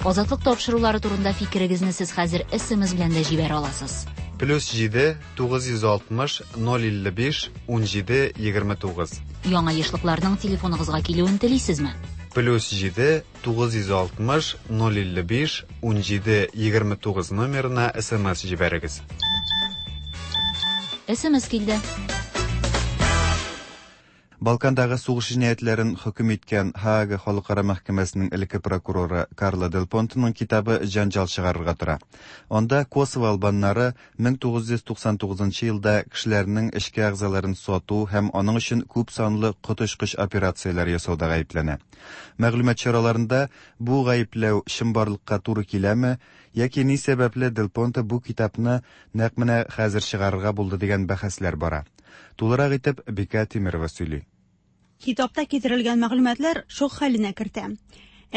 Азатлык тапшырулары турында фикерегезне сез хәзер СМС белән дә җибәрә аласыз. Плюс 7 960 055 17 29. Яңа ешлыкларның телефоныгызга килүен телисезме? Плюс 7 960 055 17 29 номерына СМС җибәрегез. СМС килде. Балкандагы сугыш җинаятьләрен хөкем иткән Һаага халыкара мәхкәмәсенең элекке прокуроры Карло Дель Понтеның китабы җәнҗал чыгарырга тора. Анда Косово албаннары 1999 елда кешеләрнең эчке әгъзаларын сату һәм аның өчен күп санлы коточкыч операцияләр ясауда гаепләнә. Мәгълүмат чараларында бу гаепләү чынбарлыкка туры киләме яки ни сәбәпле Дель Понте бу китапны нәкъ менә хәзер чыгарырга булды дигән бәхәсләр бара. Тулырак итеп Бикә Тимерова сөйли. Китапта китерелгән мәгълүматлар шок хәленә кертә.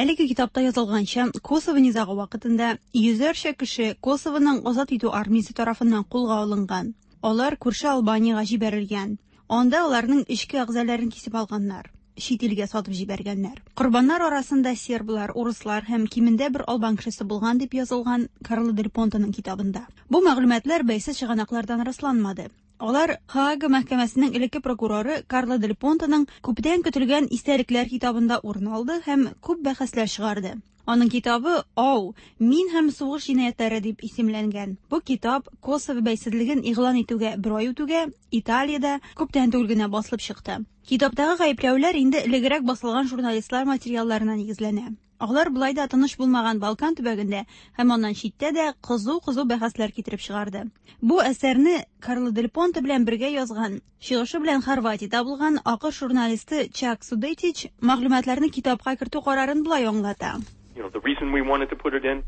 Әлеге китапта язылганча, Косово низагы вакытында йөзләрчә кеше Косовоның азат итү армиясе тарафыннан кулга алынган. Алар күрше Албаниягә җибәрелгән. Анда аларның эчке әгъзаларын кисеп алганнар, чит илгә сатып җибәргәннәр. Корбаннар арасында серблар, урыслар һәм кимендә бер албан кешесе булган дип язылган Карло дель Понтеның китабында. Бу мәгълүматлар бәйсез чыганаклардан расланмады. Алар Һаага мәхкәмәсенең элекке прокуроры Карло дель Понтеның күптән көтелгән истәлекләр китабында урын алды һәм күп бәхәсләр чыгарды. Аның китабы Ау, мин һәм сугыш җинаятьләре дип исемләнгән. Бу китап Косово бәйсезлеген игълан итүгә бер ай үтүгә Италиядә күптән түгел генә басылып чыкты. Китаптагы гаепләүләр инде элегрәк басылган журналистлар материалларына нигезләнә. Алар болай да тыныч булмаган Балкан төбәгендә һәм аннан читтә дә кызу-кызу бәхәсләр китереп чыгарды. Бу әсәрне Карло дель Понте белән бергә язган, чыгышы белән Хорватиядә булган АКШ журналисты Чак Судетич мәгълүматларны китапка кертү карарын болай аңлата. You know, the reason we wanted to put it in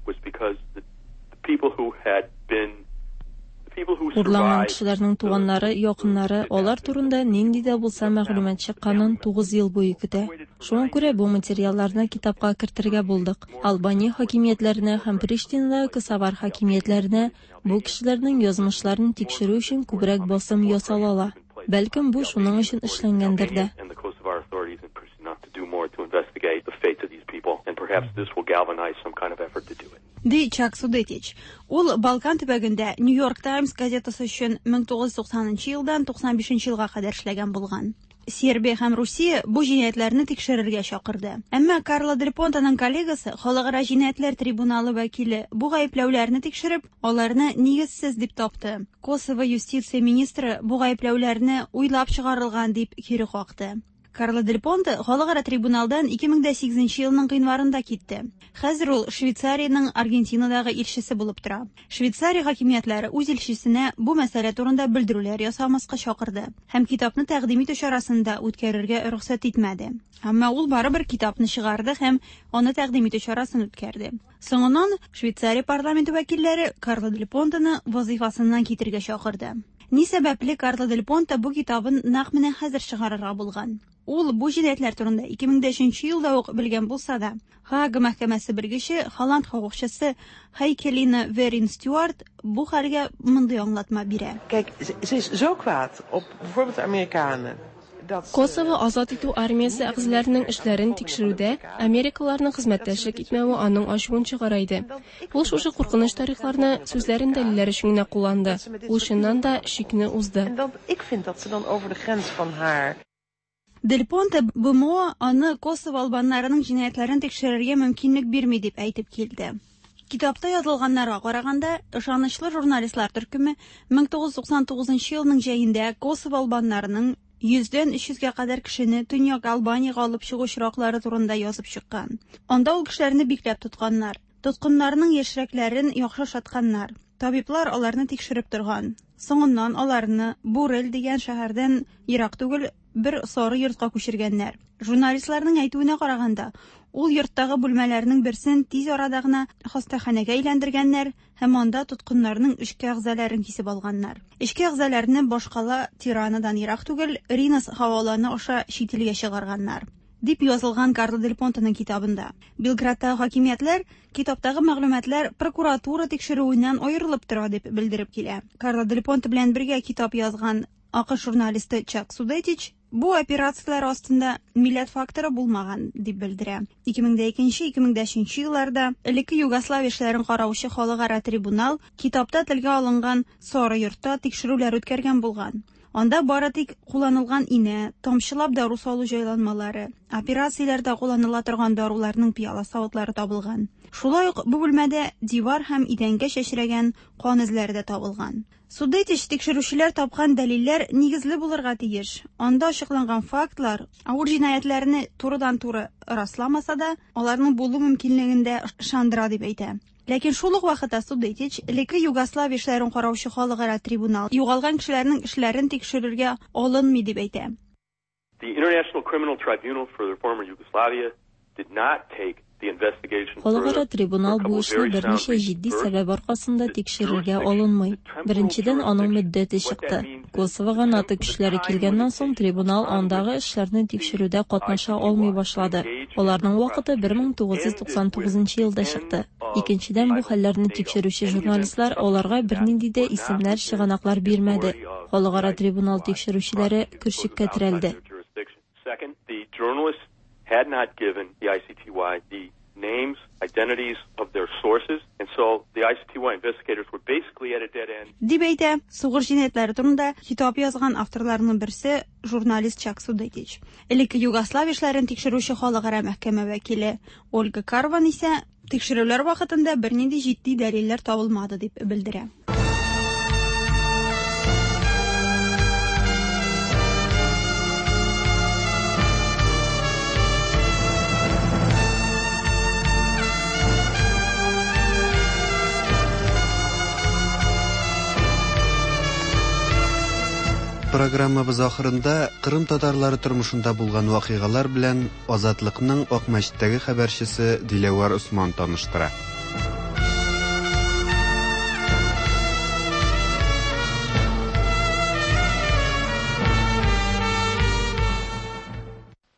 was because the people who had been Урланган кешеләрнең туганнары, якыннары алар турында нинди дә булса мәгълүмат чыкканын 9 ел буе көтә. Шуңа күрә бу материалларны китапка кертергә булдык. Албания хакимиятләренә һәм Приштинадагы косовар хакимиятләренә бу кешеләрнең язмышларын тикшерү өчен күбрәк басым ясала ала. Бәлкем бу шуның өчен эшләнгәндер дә. Ди Чак Судетич. Ул Балкан төбәгендә New York Times газетасы өчен 1990 елдан 95 елга кадәр эшләгән булган. Сербия һәм Русия бу җинаятьләрне тикшерергә чакырды. Әмма Карло Дель Понтеның коллегасы, Халыкара җинаятьләр трибуналы вәкиле бу гаепләүләрне тикшереп, аларны нигезсез дип тапты. Косово юстиция министры бу гаепләүләрне уйлап чыгарылган дип кире какты. Карло Дель Понте халыкара трибуналдан 2008 елның гыйнварында китте. Хәзер ул Швейцариянең Аргентинадагы илчесе булып тора. Швейцария хакимиятләре үз илчесенә бу мәсьәлә турында белдерүләр ясамаска чакырды һәм китапны тәкъдим итү чарасын да үткәрергә рөхсәт итмәде. Әмма ул барыбер китапны чыгарды һәм аны тәкъдим итү чарасын үткәрде. Соңыннан Швейцария парламенты вәкилләре Карло Дель Понтены вазыйфасыннан китергә чакырды. Ни сәбәпле Карло Дель Понте бу китабын нәкъ менә хәзер чыгарырга булган? Ул бу җинаятьләр турында 2003 елда ук белгән булса да, Һаага мәхкәмәсе белгече, Холланд хокукчысы Хайкелина Верин Стюарт бу хәлгә мондый аңлатма бирә. Kijk, ze is zo kwaad op bijvoorbeeld de Amerikanen. Косово азат итү армиясе әгъзаларының эшләрен тикшерүдә америкалыларның хезмәттәшлек итмәве аның ачуын чыгара иде. Ул шушы куркыныч тарихларны сүзләрен дәлилләр өчен генә кулланды. Ул чыннан да чикне узды. En dat, ik vind dat ze dan over de grens van haar. Дель Понте БМО аны Косово албаннарының җинаятьләрен тикшерергә мөмкинлек бирми дип әйтеп килде. Китапта язылганнарга караганда, ышанычлы журналистлар төркеме 1999 елның җәендә Косово албаннарының 100дән 300гә кадәр кешене Төньяк Албаниягә алып чыгу очраклары турында язып чыккан. Анда ул кешеләрне бикләп тотканнар. Тоткыннарның яшьрәкләрен яхшы ашатканнар. Табиблар аларны тикшереп торган. Соңыннан аларны Бурель дигән шәһәрдән ерак түгел бер сары йортка күчергәннәр. Журналистларның әйтүенә караганда, ул йорттагы бүлмәләрнең берсен тиз арада гына хастаханәгә әйләндергәннәр һәм анда тоткыннарның эчке әгъзаларын кисеп алганнар. Эчке әгъзаларны башкала Тиранадан ерак түгел Ринас һаваланы аша чит илгә чыгарганнар. Дип язылган Карло Дель Понтеның китабында. Белградтагы хакимиятләр китаптагы мәгълүматлар прокуратура тикшерүеннән аерылып тора дип белдереп килә. Карло Дель Понте белән бергә китап язган АКШ журналисты Чак Судетич бу операцияләр астында милләт факторы булмаган дип белдерә. 2002-2003 елларда элекке Югославия эшләрен караучы халыкара трибунал китапта телгә алынган сары йортта тикшерүләр үткәргән булган. Анда бары тик кулланылган инә, тамчылап дару салу җайланмалары, операцияләрдә кулланыла торган даруларның пыяла савытлары табылган. Шулай ук бу бүлмәдә дивар һәм идәнгә чәчрәгән кан эзләре дә табылган. Судетич тикшерүчеләр тапкан дәлилләр нигезле булырга тиеш. Анда ачыкланган фактлар авыр җинаятьләрне турыдан-туры расламаса да, аларның булу мөмкинлеген дә ышандыра дип әйтә. Ләкин шул ук вакытта Судетич элекке Югославия эшләрен караучы халыкара трибунал югалган кешеләрнең эшләрен тикшерергә алынмый дип әйтә. The International Criminal Tribunal for the former Yugoslavia did not take the investigation Халыкара further трибунал бу эшне берничә җитди сәбәп аркасында тикшерергә алынмый. Беренчедән, аның мөддәте чыкты. Косовога НАТО көчләре килгәннән соң трибунал андагы эшләрне тикшерүдә катнаша алмый башлады. Аларның вакыты 1999 елда чыкты. Икенчедән, бу хәлләрне тикшерүче журналистлар аларга бернинди дә исемнәр, чыганаклар бирмәде. Халыкара трибунал тикшерүчеләре көрчеккә терәлде. Second, the journalists had not given the ICTY the names, identities of their sources, and so the ICTY investigators were basically at a dead end. Дип әйтә сугыш җинаятьләре турында китап язган авторларның берсе журналист Чак Судетич. Элекке Югославия эшләрен тикшерүче халыкара мәхкәмә вәкиле Ольга Карван исә тикшерүләр вакытында бернинди җитди дәлилләр табылмады дип белдерә. Программабыз ахырында Кырым татарлары тормышында булган вакыйгалар белән Азатлыкның Акмәчеттәге хәбәрчесе Диләвәр Усман таныштыра.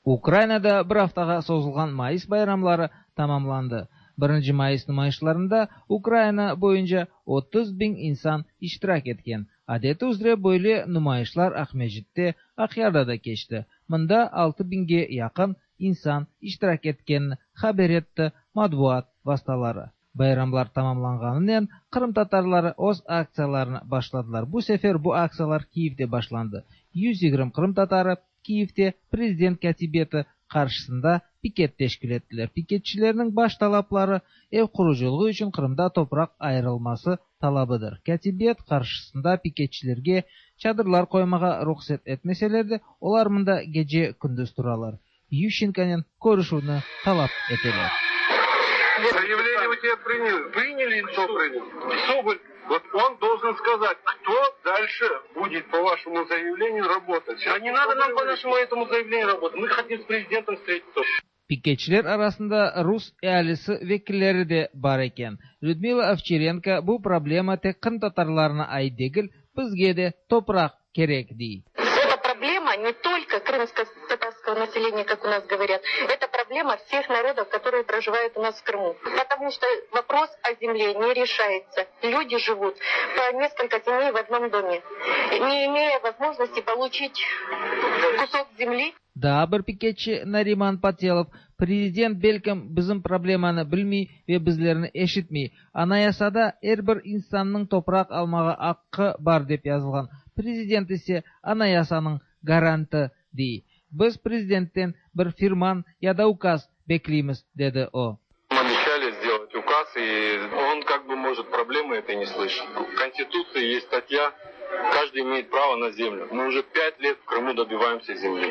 Украинада бер haftaga созылган Mayıs bayramları tamamlandı. 1 Mayıs numayışlarında Ukraina boyunca 30 bin insan iştirak etken. Adeti üzre böyle numayışlar Akmescit'te, Akyar'da da geçti. Mında 6 binge yakın insan iştirak etkenini haber etti matbuat vasıtaları. Bayramlar tamamlanganından Kırım Tatarları öz aksiyalarını başladılar. Bu sefer bu aksiyalar Kiev'de başlandı. 120 Kırım Tatarı Kiev'de prezident katibiyeti karşısında piket teşkil ettiler. Piketçilerinin baş talapları ev kuruculuğu için Kırım'da toprak ayrılması talabıdır. Katibiyet karşısında piketçilerge çadırlar koymağa ruhsat etmeseler de olar mında gece gündüz turalar. Ющенконен көрүшүүнү талап этелер. Заявление у тебя приняли. Приняли или что принял? Соболь, вот он должен сказать, кто дальше будет по вашему заявлению работать. А не надо нам по нашему этому заявлению работать. Мы хотим с президентом встретиться. Piketçiler arasında Rus ealisi vekilleri de bar eken. Людмила Овчаренко bu problema tek Kırım tatarlarına ait degil, bizge de topraq kerek dey. Это проблема не только крымско-татарского населения, как у нас говорят, это проблема всех народов, которые проживают у нас в Крыму. Потому что вопрос о земле не решается. Люди живут по несколько семей в одном доме, не имея возможности получить кусок земли. Daa bir piketçi Nariman Patelov, prezident belkim bizim problemanı bilmey ve bizlerni eşitmey. Anayasada er bir insannıñ topraq almağa aqqı bar dep yazılğan. Prezident ise anayasanıñ garantı dey. Biz prezidentten bir firman ya da ukaz bekleymiz, dedi o. Обещали сделать указ, и он как бы может проблемы этой не слышит. В Конституции есть статья: каждый имеет право на землю. Мы уже 5 лет в Крыму добиваемся земли.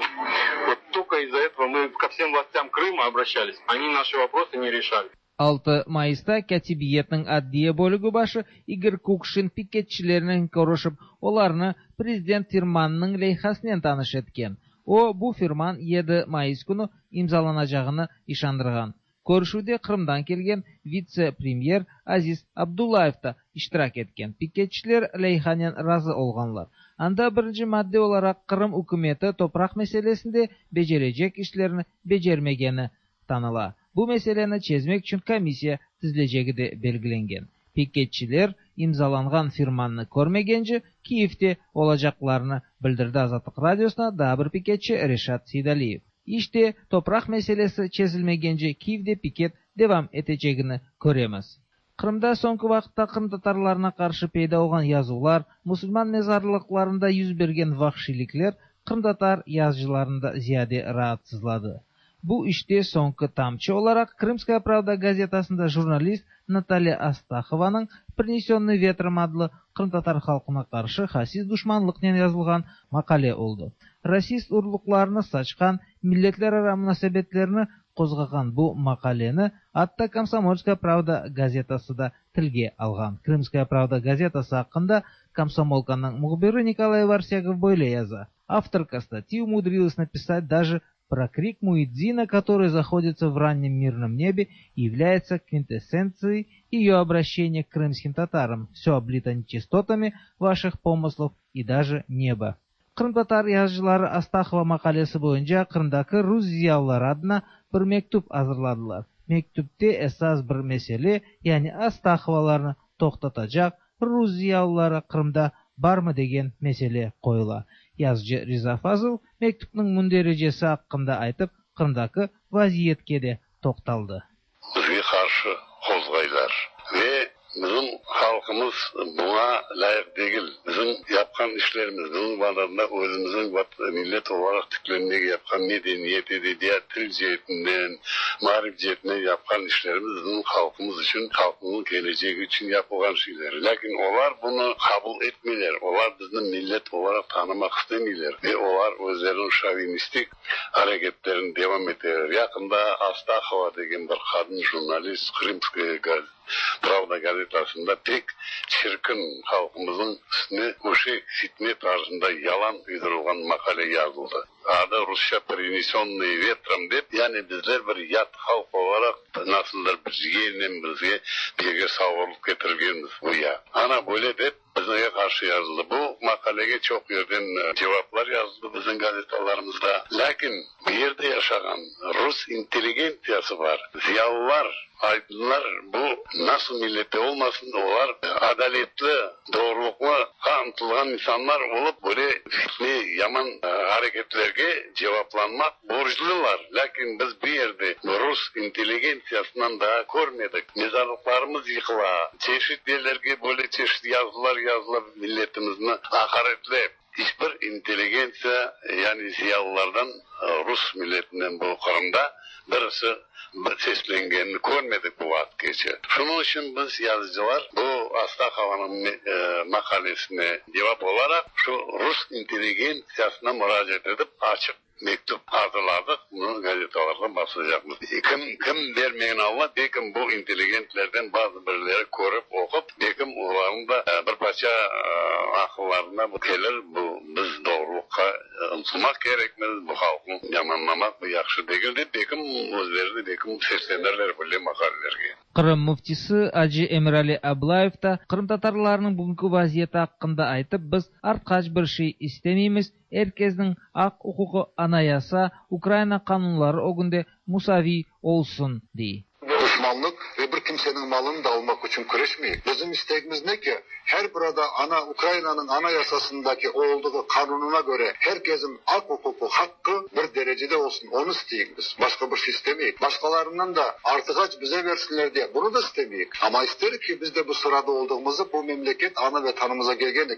Вот только из-за этого мы ко всем властям Крыма обращались. Они наши вопросы не решали. 6 mayısta Kâtibiyetniñ adliye bölügi başı İgor Kukşin piketçilernen körüşip, olarnı prezident firmanınıñ leyhasınen tanış etken. O, bu firman 7 mayıs künü imzalanacağını işandırğan. Körüşüvde Qırımdan kelgen vitse-premyer Aziz Abdullayev da iştirak etken. Piketçiler leyhanen razı olğanlar. Anda birinci madde olaraq Qırım ükümeti topraq meselesinde becerecek işlerini becermegeni tanıla. Bu meseleni çezmek içün komissiya tizilecegi de belgilengen. Piketçiler imzalanğan firmannı körmegence Kiyevde olacaqlarını bildirdi Azatlıq Radiosına daa bir piketçi Reşat Seydaliyev. İşte, topraq meselesi çezilmegence Kiyevde piket devam etecegini köremiz. Qırımda soñki vaqıtta qırımtatarlarına qarşı peyda olğan yazuvlar, musulman mezarlıqlarında yüz bergen vahşiylikler qırımtatar yazıcılarını da ziyade raatsızladı. Bu işte soñki tamçı olaraq Krımskaya pravda gazetasında jurnalist Natalya Astahovanıñ Принесенный ветром adlı qırımtatar halqına qarşı hasis duşmanlıqnen yazılğan maqale oldı. Rasist urluqlarını saçqan, milletlerara munasebetlerni qozğağan bu maqaleni atta Komsomolskaya pravda gazetası da tilge alğan. Krımskaya pravda gazetası aqqında Komsomolkanıñ mühbiri Nikolay Varsegov böyle yaza: Авторка статьи умудрилась написать даже про крик муэдзина, который заходится в раннем мирном небе и является квинтэссенцией ее обращения к крымским татарам. Все облито нечистотами ваших помыслов и даже небо. Qırımtatar yazıcıları Astahova maqalesi boyunca Qırımdaki rus ziyalıları adına bir mektüp azırladılar. Mektüpte esas bir mesele, yani Astahovalarnı toqtatacaq rus ziyalıları Qırımda barmı degen mesele qoyula. Yazıcı Riza Fazıl mektüpniñ mündericesi aqqında aytıp, Qırımdaki vaziyetke de toqtaldı. Bizge qarşı qozğaylar ve bizim halqımız buña lâyıq degil. Bizim yapqan işlerimiz, bizim Vatanda özümizniñ millet olaraq tiklenmege yapqan medeniyet, edebiyat, til ceetinden, maarif ceetinden yapqan işlerimiz bizim halqımız içün, halqımıznıñ kelecegi içün yapılğan şeyler. Lâkin olar bunı qabul etmeyler, olar bizni millet olaraq tanımaq istemeyler ve olar özleriniñ şovinistik areketlerini devam eteler. Yaqında Astahova degen bir qadın jurnalist Krımskaya Pravda gazetasında pek çirkin, halqımıznıñ üstüne öşek, fitne tarzında yalan uydurılğan maqale yazıldı. Adı rusça Принесенные ветром dep, yani bizler bir yat halq olaraq nasıldır bir yelnen bizge birge savurılıp ketirilgenmiz güya. Ana böyle dep bizge qarşı yazıldı. Bu maqalege çoq yerden cevaplar yazıldı bizim gazetalarımızda. Lâkin bu yerde yaşağan rus intelligentsiyası bar, ziyalılar, aydınlar, bu nasıl millette olmasın, olar adaletli, doğrulıqqa ıntılğan insanlar olıp, böyle fitne, yaman areketlerge cevaplanmaq borclular. Lâkin biz bu yerde rus intelligentsiyasından daa körmedik. Mezarlıqlarımız yıqıla, çeşit yerlerge böyle çeşit yazılar yazıla milletimizni aqaretlep. İç bir intelligentsiya, yani ziyalılardan, rus milletinden bu Qırımda birisi bir seslengenini körmedik bu vaqıtqace. Şunıñ içün biz, yazıcılar, bu Astahovanıñ maqalesine cevap olaraq şu rus intelligentsiyasına muracaat etip, açıq mektüp azırladıq, bunı gazetalarğa basacaqmız. Kim, kim bermegen Alla, belkim bu intelligentlerden bazı birileri körip, oqup, belkim olarnıñ da bir parça aqıllarına bu kelir, bu biz doğrulıqqa ıntılmaq kerekmiz, bu halqnı yamanlamaq bu yahşı degil dep, belkim özleri de belkim seslenirler böyle maqalelerge. Qırım müftisi acı Emirali Ablayev da qırımtatarlarnıñ bugünki vaziyeti aqqında aytıp, biz artqaç bir şey istemeymiz, er kesniñ aq-uquqı anayasa, Ukraina qanunları ögünde musaviy olsun, dey. Düşmanlık ve bir kimsenin malını da almak için küreşmeyik. Bizim isteğimiz ne ki? Her burada Ukrayna'nın anayasasındaki olduğu kanununa göre herkesin hak hukuku, hakkı bir derecede olsun. Onu isteyik biz. Başka bir şey istemeyik. Başkalarından da artık bize versinler diye bunu da istemeyik. Ama isterik ki biz de bu sırada olduğumuzu, bu memleket ana vatanımıza gelgen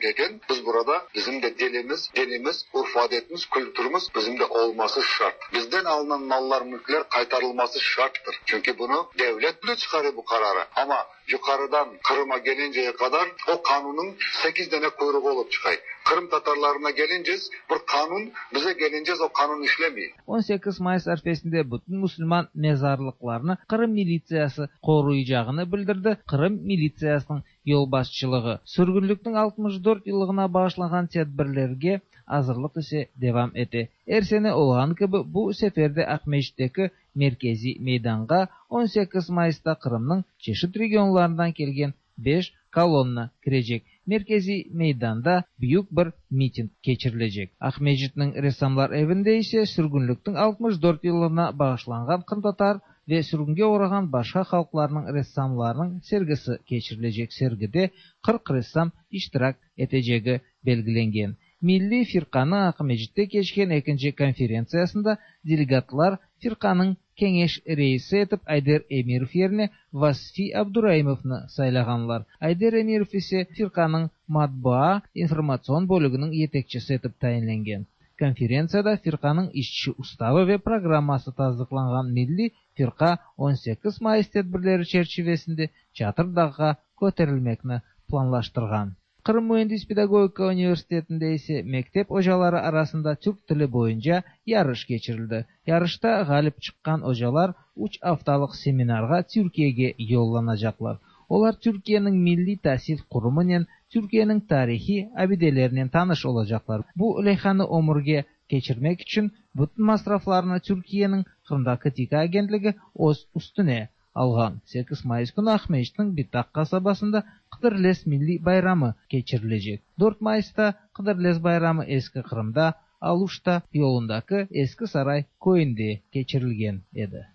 biz burada bizim de dilimiz, dinimiz, urf adetimiz, kültürümüz bizim de olması şart. Bizden alınan mallar, mülkler kaytarılması şarttır. Çünkü bunu devlet bile çıkarıyor bu kararı. Ama yukarıdan Kırım'a gelinceye kadar o kanunun 8 tane kuyruğu olup çıkay. Kırım Tatarlarına gelince bir kanun, bize gelince o kanun işlemiyor. 18 Mayıs arfesinde bütün Müslüman mezarlıklarını Kırım militsiyası koruyacağını bildirdi. Kırım militsiyasının yolbaşçılığı. Sürgünlükün 64 yıllığına bağışlanan tedbirlerge hazırlık ise devam ete. Her sene olğan gibi bu seferde Akmescit'teki merkezi meydanga 18 Mayıs'ta Kırım'ın çeşit regionlarından kelgen 5 kolonna kirecek. Merkezi meydanda büyük bir miting keçirilecek. Akmescit'in ressamlar evinde ise sürgünlükün 64 yıllığına bağışlangan Kırım Tatar ve sürgünge uğragan başka halklarının ressamlarının sergisi keçirilecek. Sergide 40 ressam iştirak eteceği belgilengen. Milli Firqanı Akmescit'te keçken ikinci konferensiyasında delegatlar Firqanın Keňeş reisi etip Ayder Emirov yerine Vasfi Abduraimov'ны saylağanlar. Ayder Emirov ise Firqanın matbaa informasyon bölügünün yetekçisi etip tayinlengen. Konferensiyada Firqanın işçi ustavı ve programması tasdıqlanğan Milli Firqa 18 Mayıs tedbirleri çerçevesinde Çatırdağ'a köterilmekni planlaştırğan. Kırım Mühendis Pedagogika Üniversitetinde ise mektep hocaları arasında Türk tili boyunca yarış geçirildi. Yarışta galip çıkan hocalar 3 haftalık seminarga Türkiye'ye yollanacaklar. Olar Türkiye'nin Milli Tahsil Kurumu'nun, Türkiye'nin tarihi abidelerinin tanış olacaklar. Bu leyhanı ömürge geçirmek için bütün masraflarını Türkiye'nin Kırım'daki TİKA agentligi öz üstüne alğan. 8 Mayıs günü Akmescit'in Bitak kasabasında Qıdırlez Milli Bayramı keçirilecek. 4 Mayıs'ta Qıdırlez Bayramı Eski Kırım'da Aluşta yolundaki Eski Saray köyünde keçirilgen edi.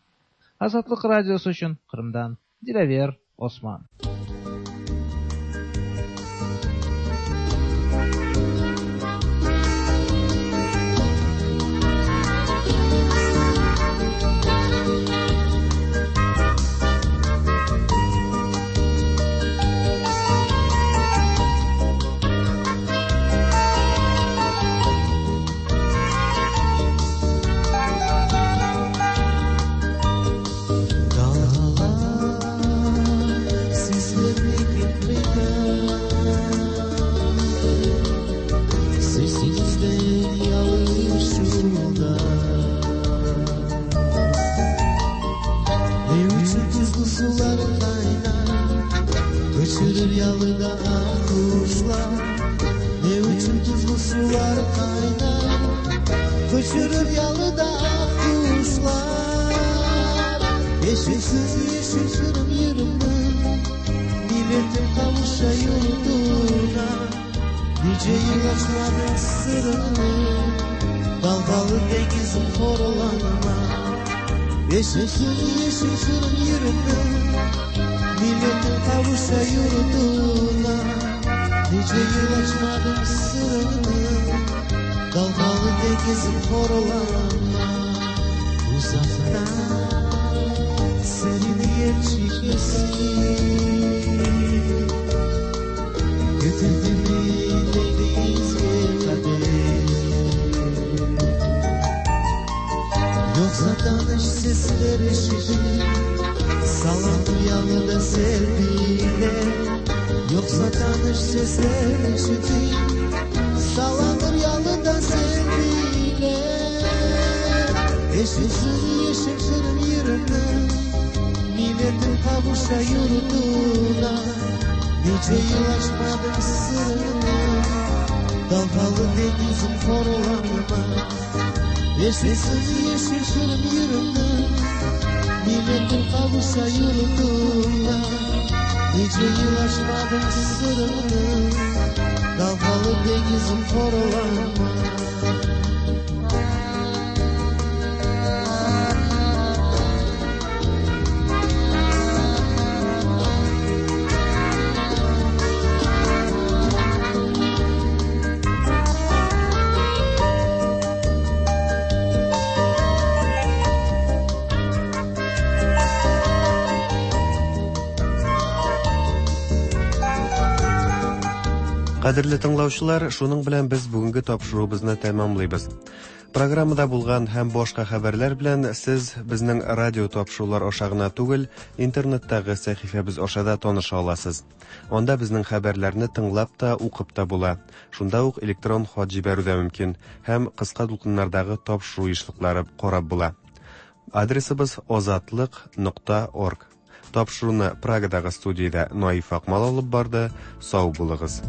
Azatlık Radyosu için Kırım'dan Dilaver Osman. Кадерле тыңлаучылар, шуның белән без бүгенге тапшыруыбызны тәмамлыйбыз. Программада булган һәм башка хәбәрләр белән сез безнең радио тапшырулар аша гына түгел, интернеттагы сәхифәбез аша да таныша аласыз. Анда безнең хәбәрләрне тыңлап та, укып та була. Шунда ук электрон хат җибәрү дә мөмкин һәм кыска дулкыннардагы тапшыру ешлыклары карап була. Адресыбыз озатлык.орг. Тапшыруны Прагадагы студиядә Наиф Акмал алып барды. Сау булыгыз.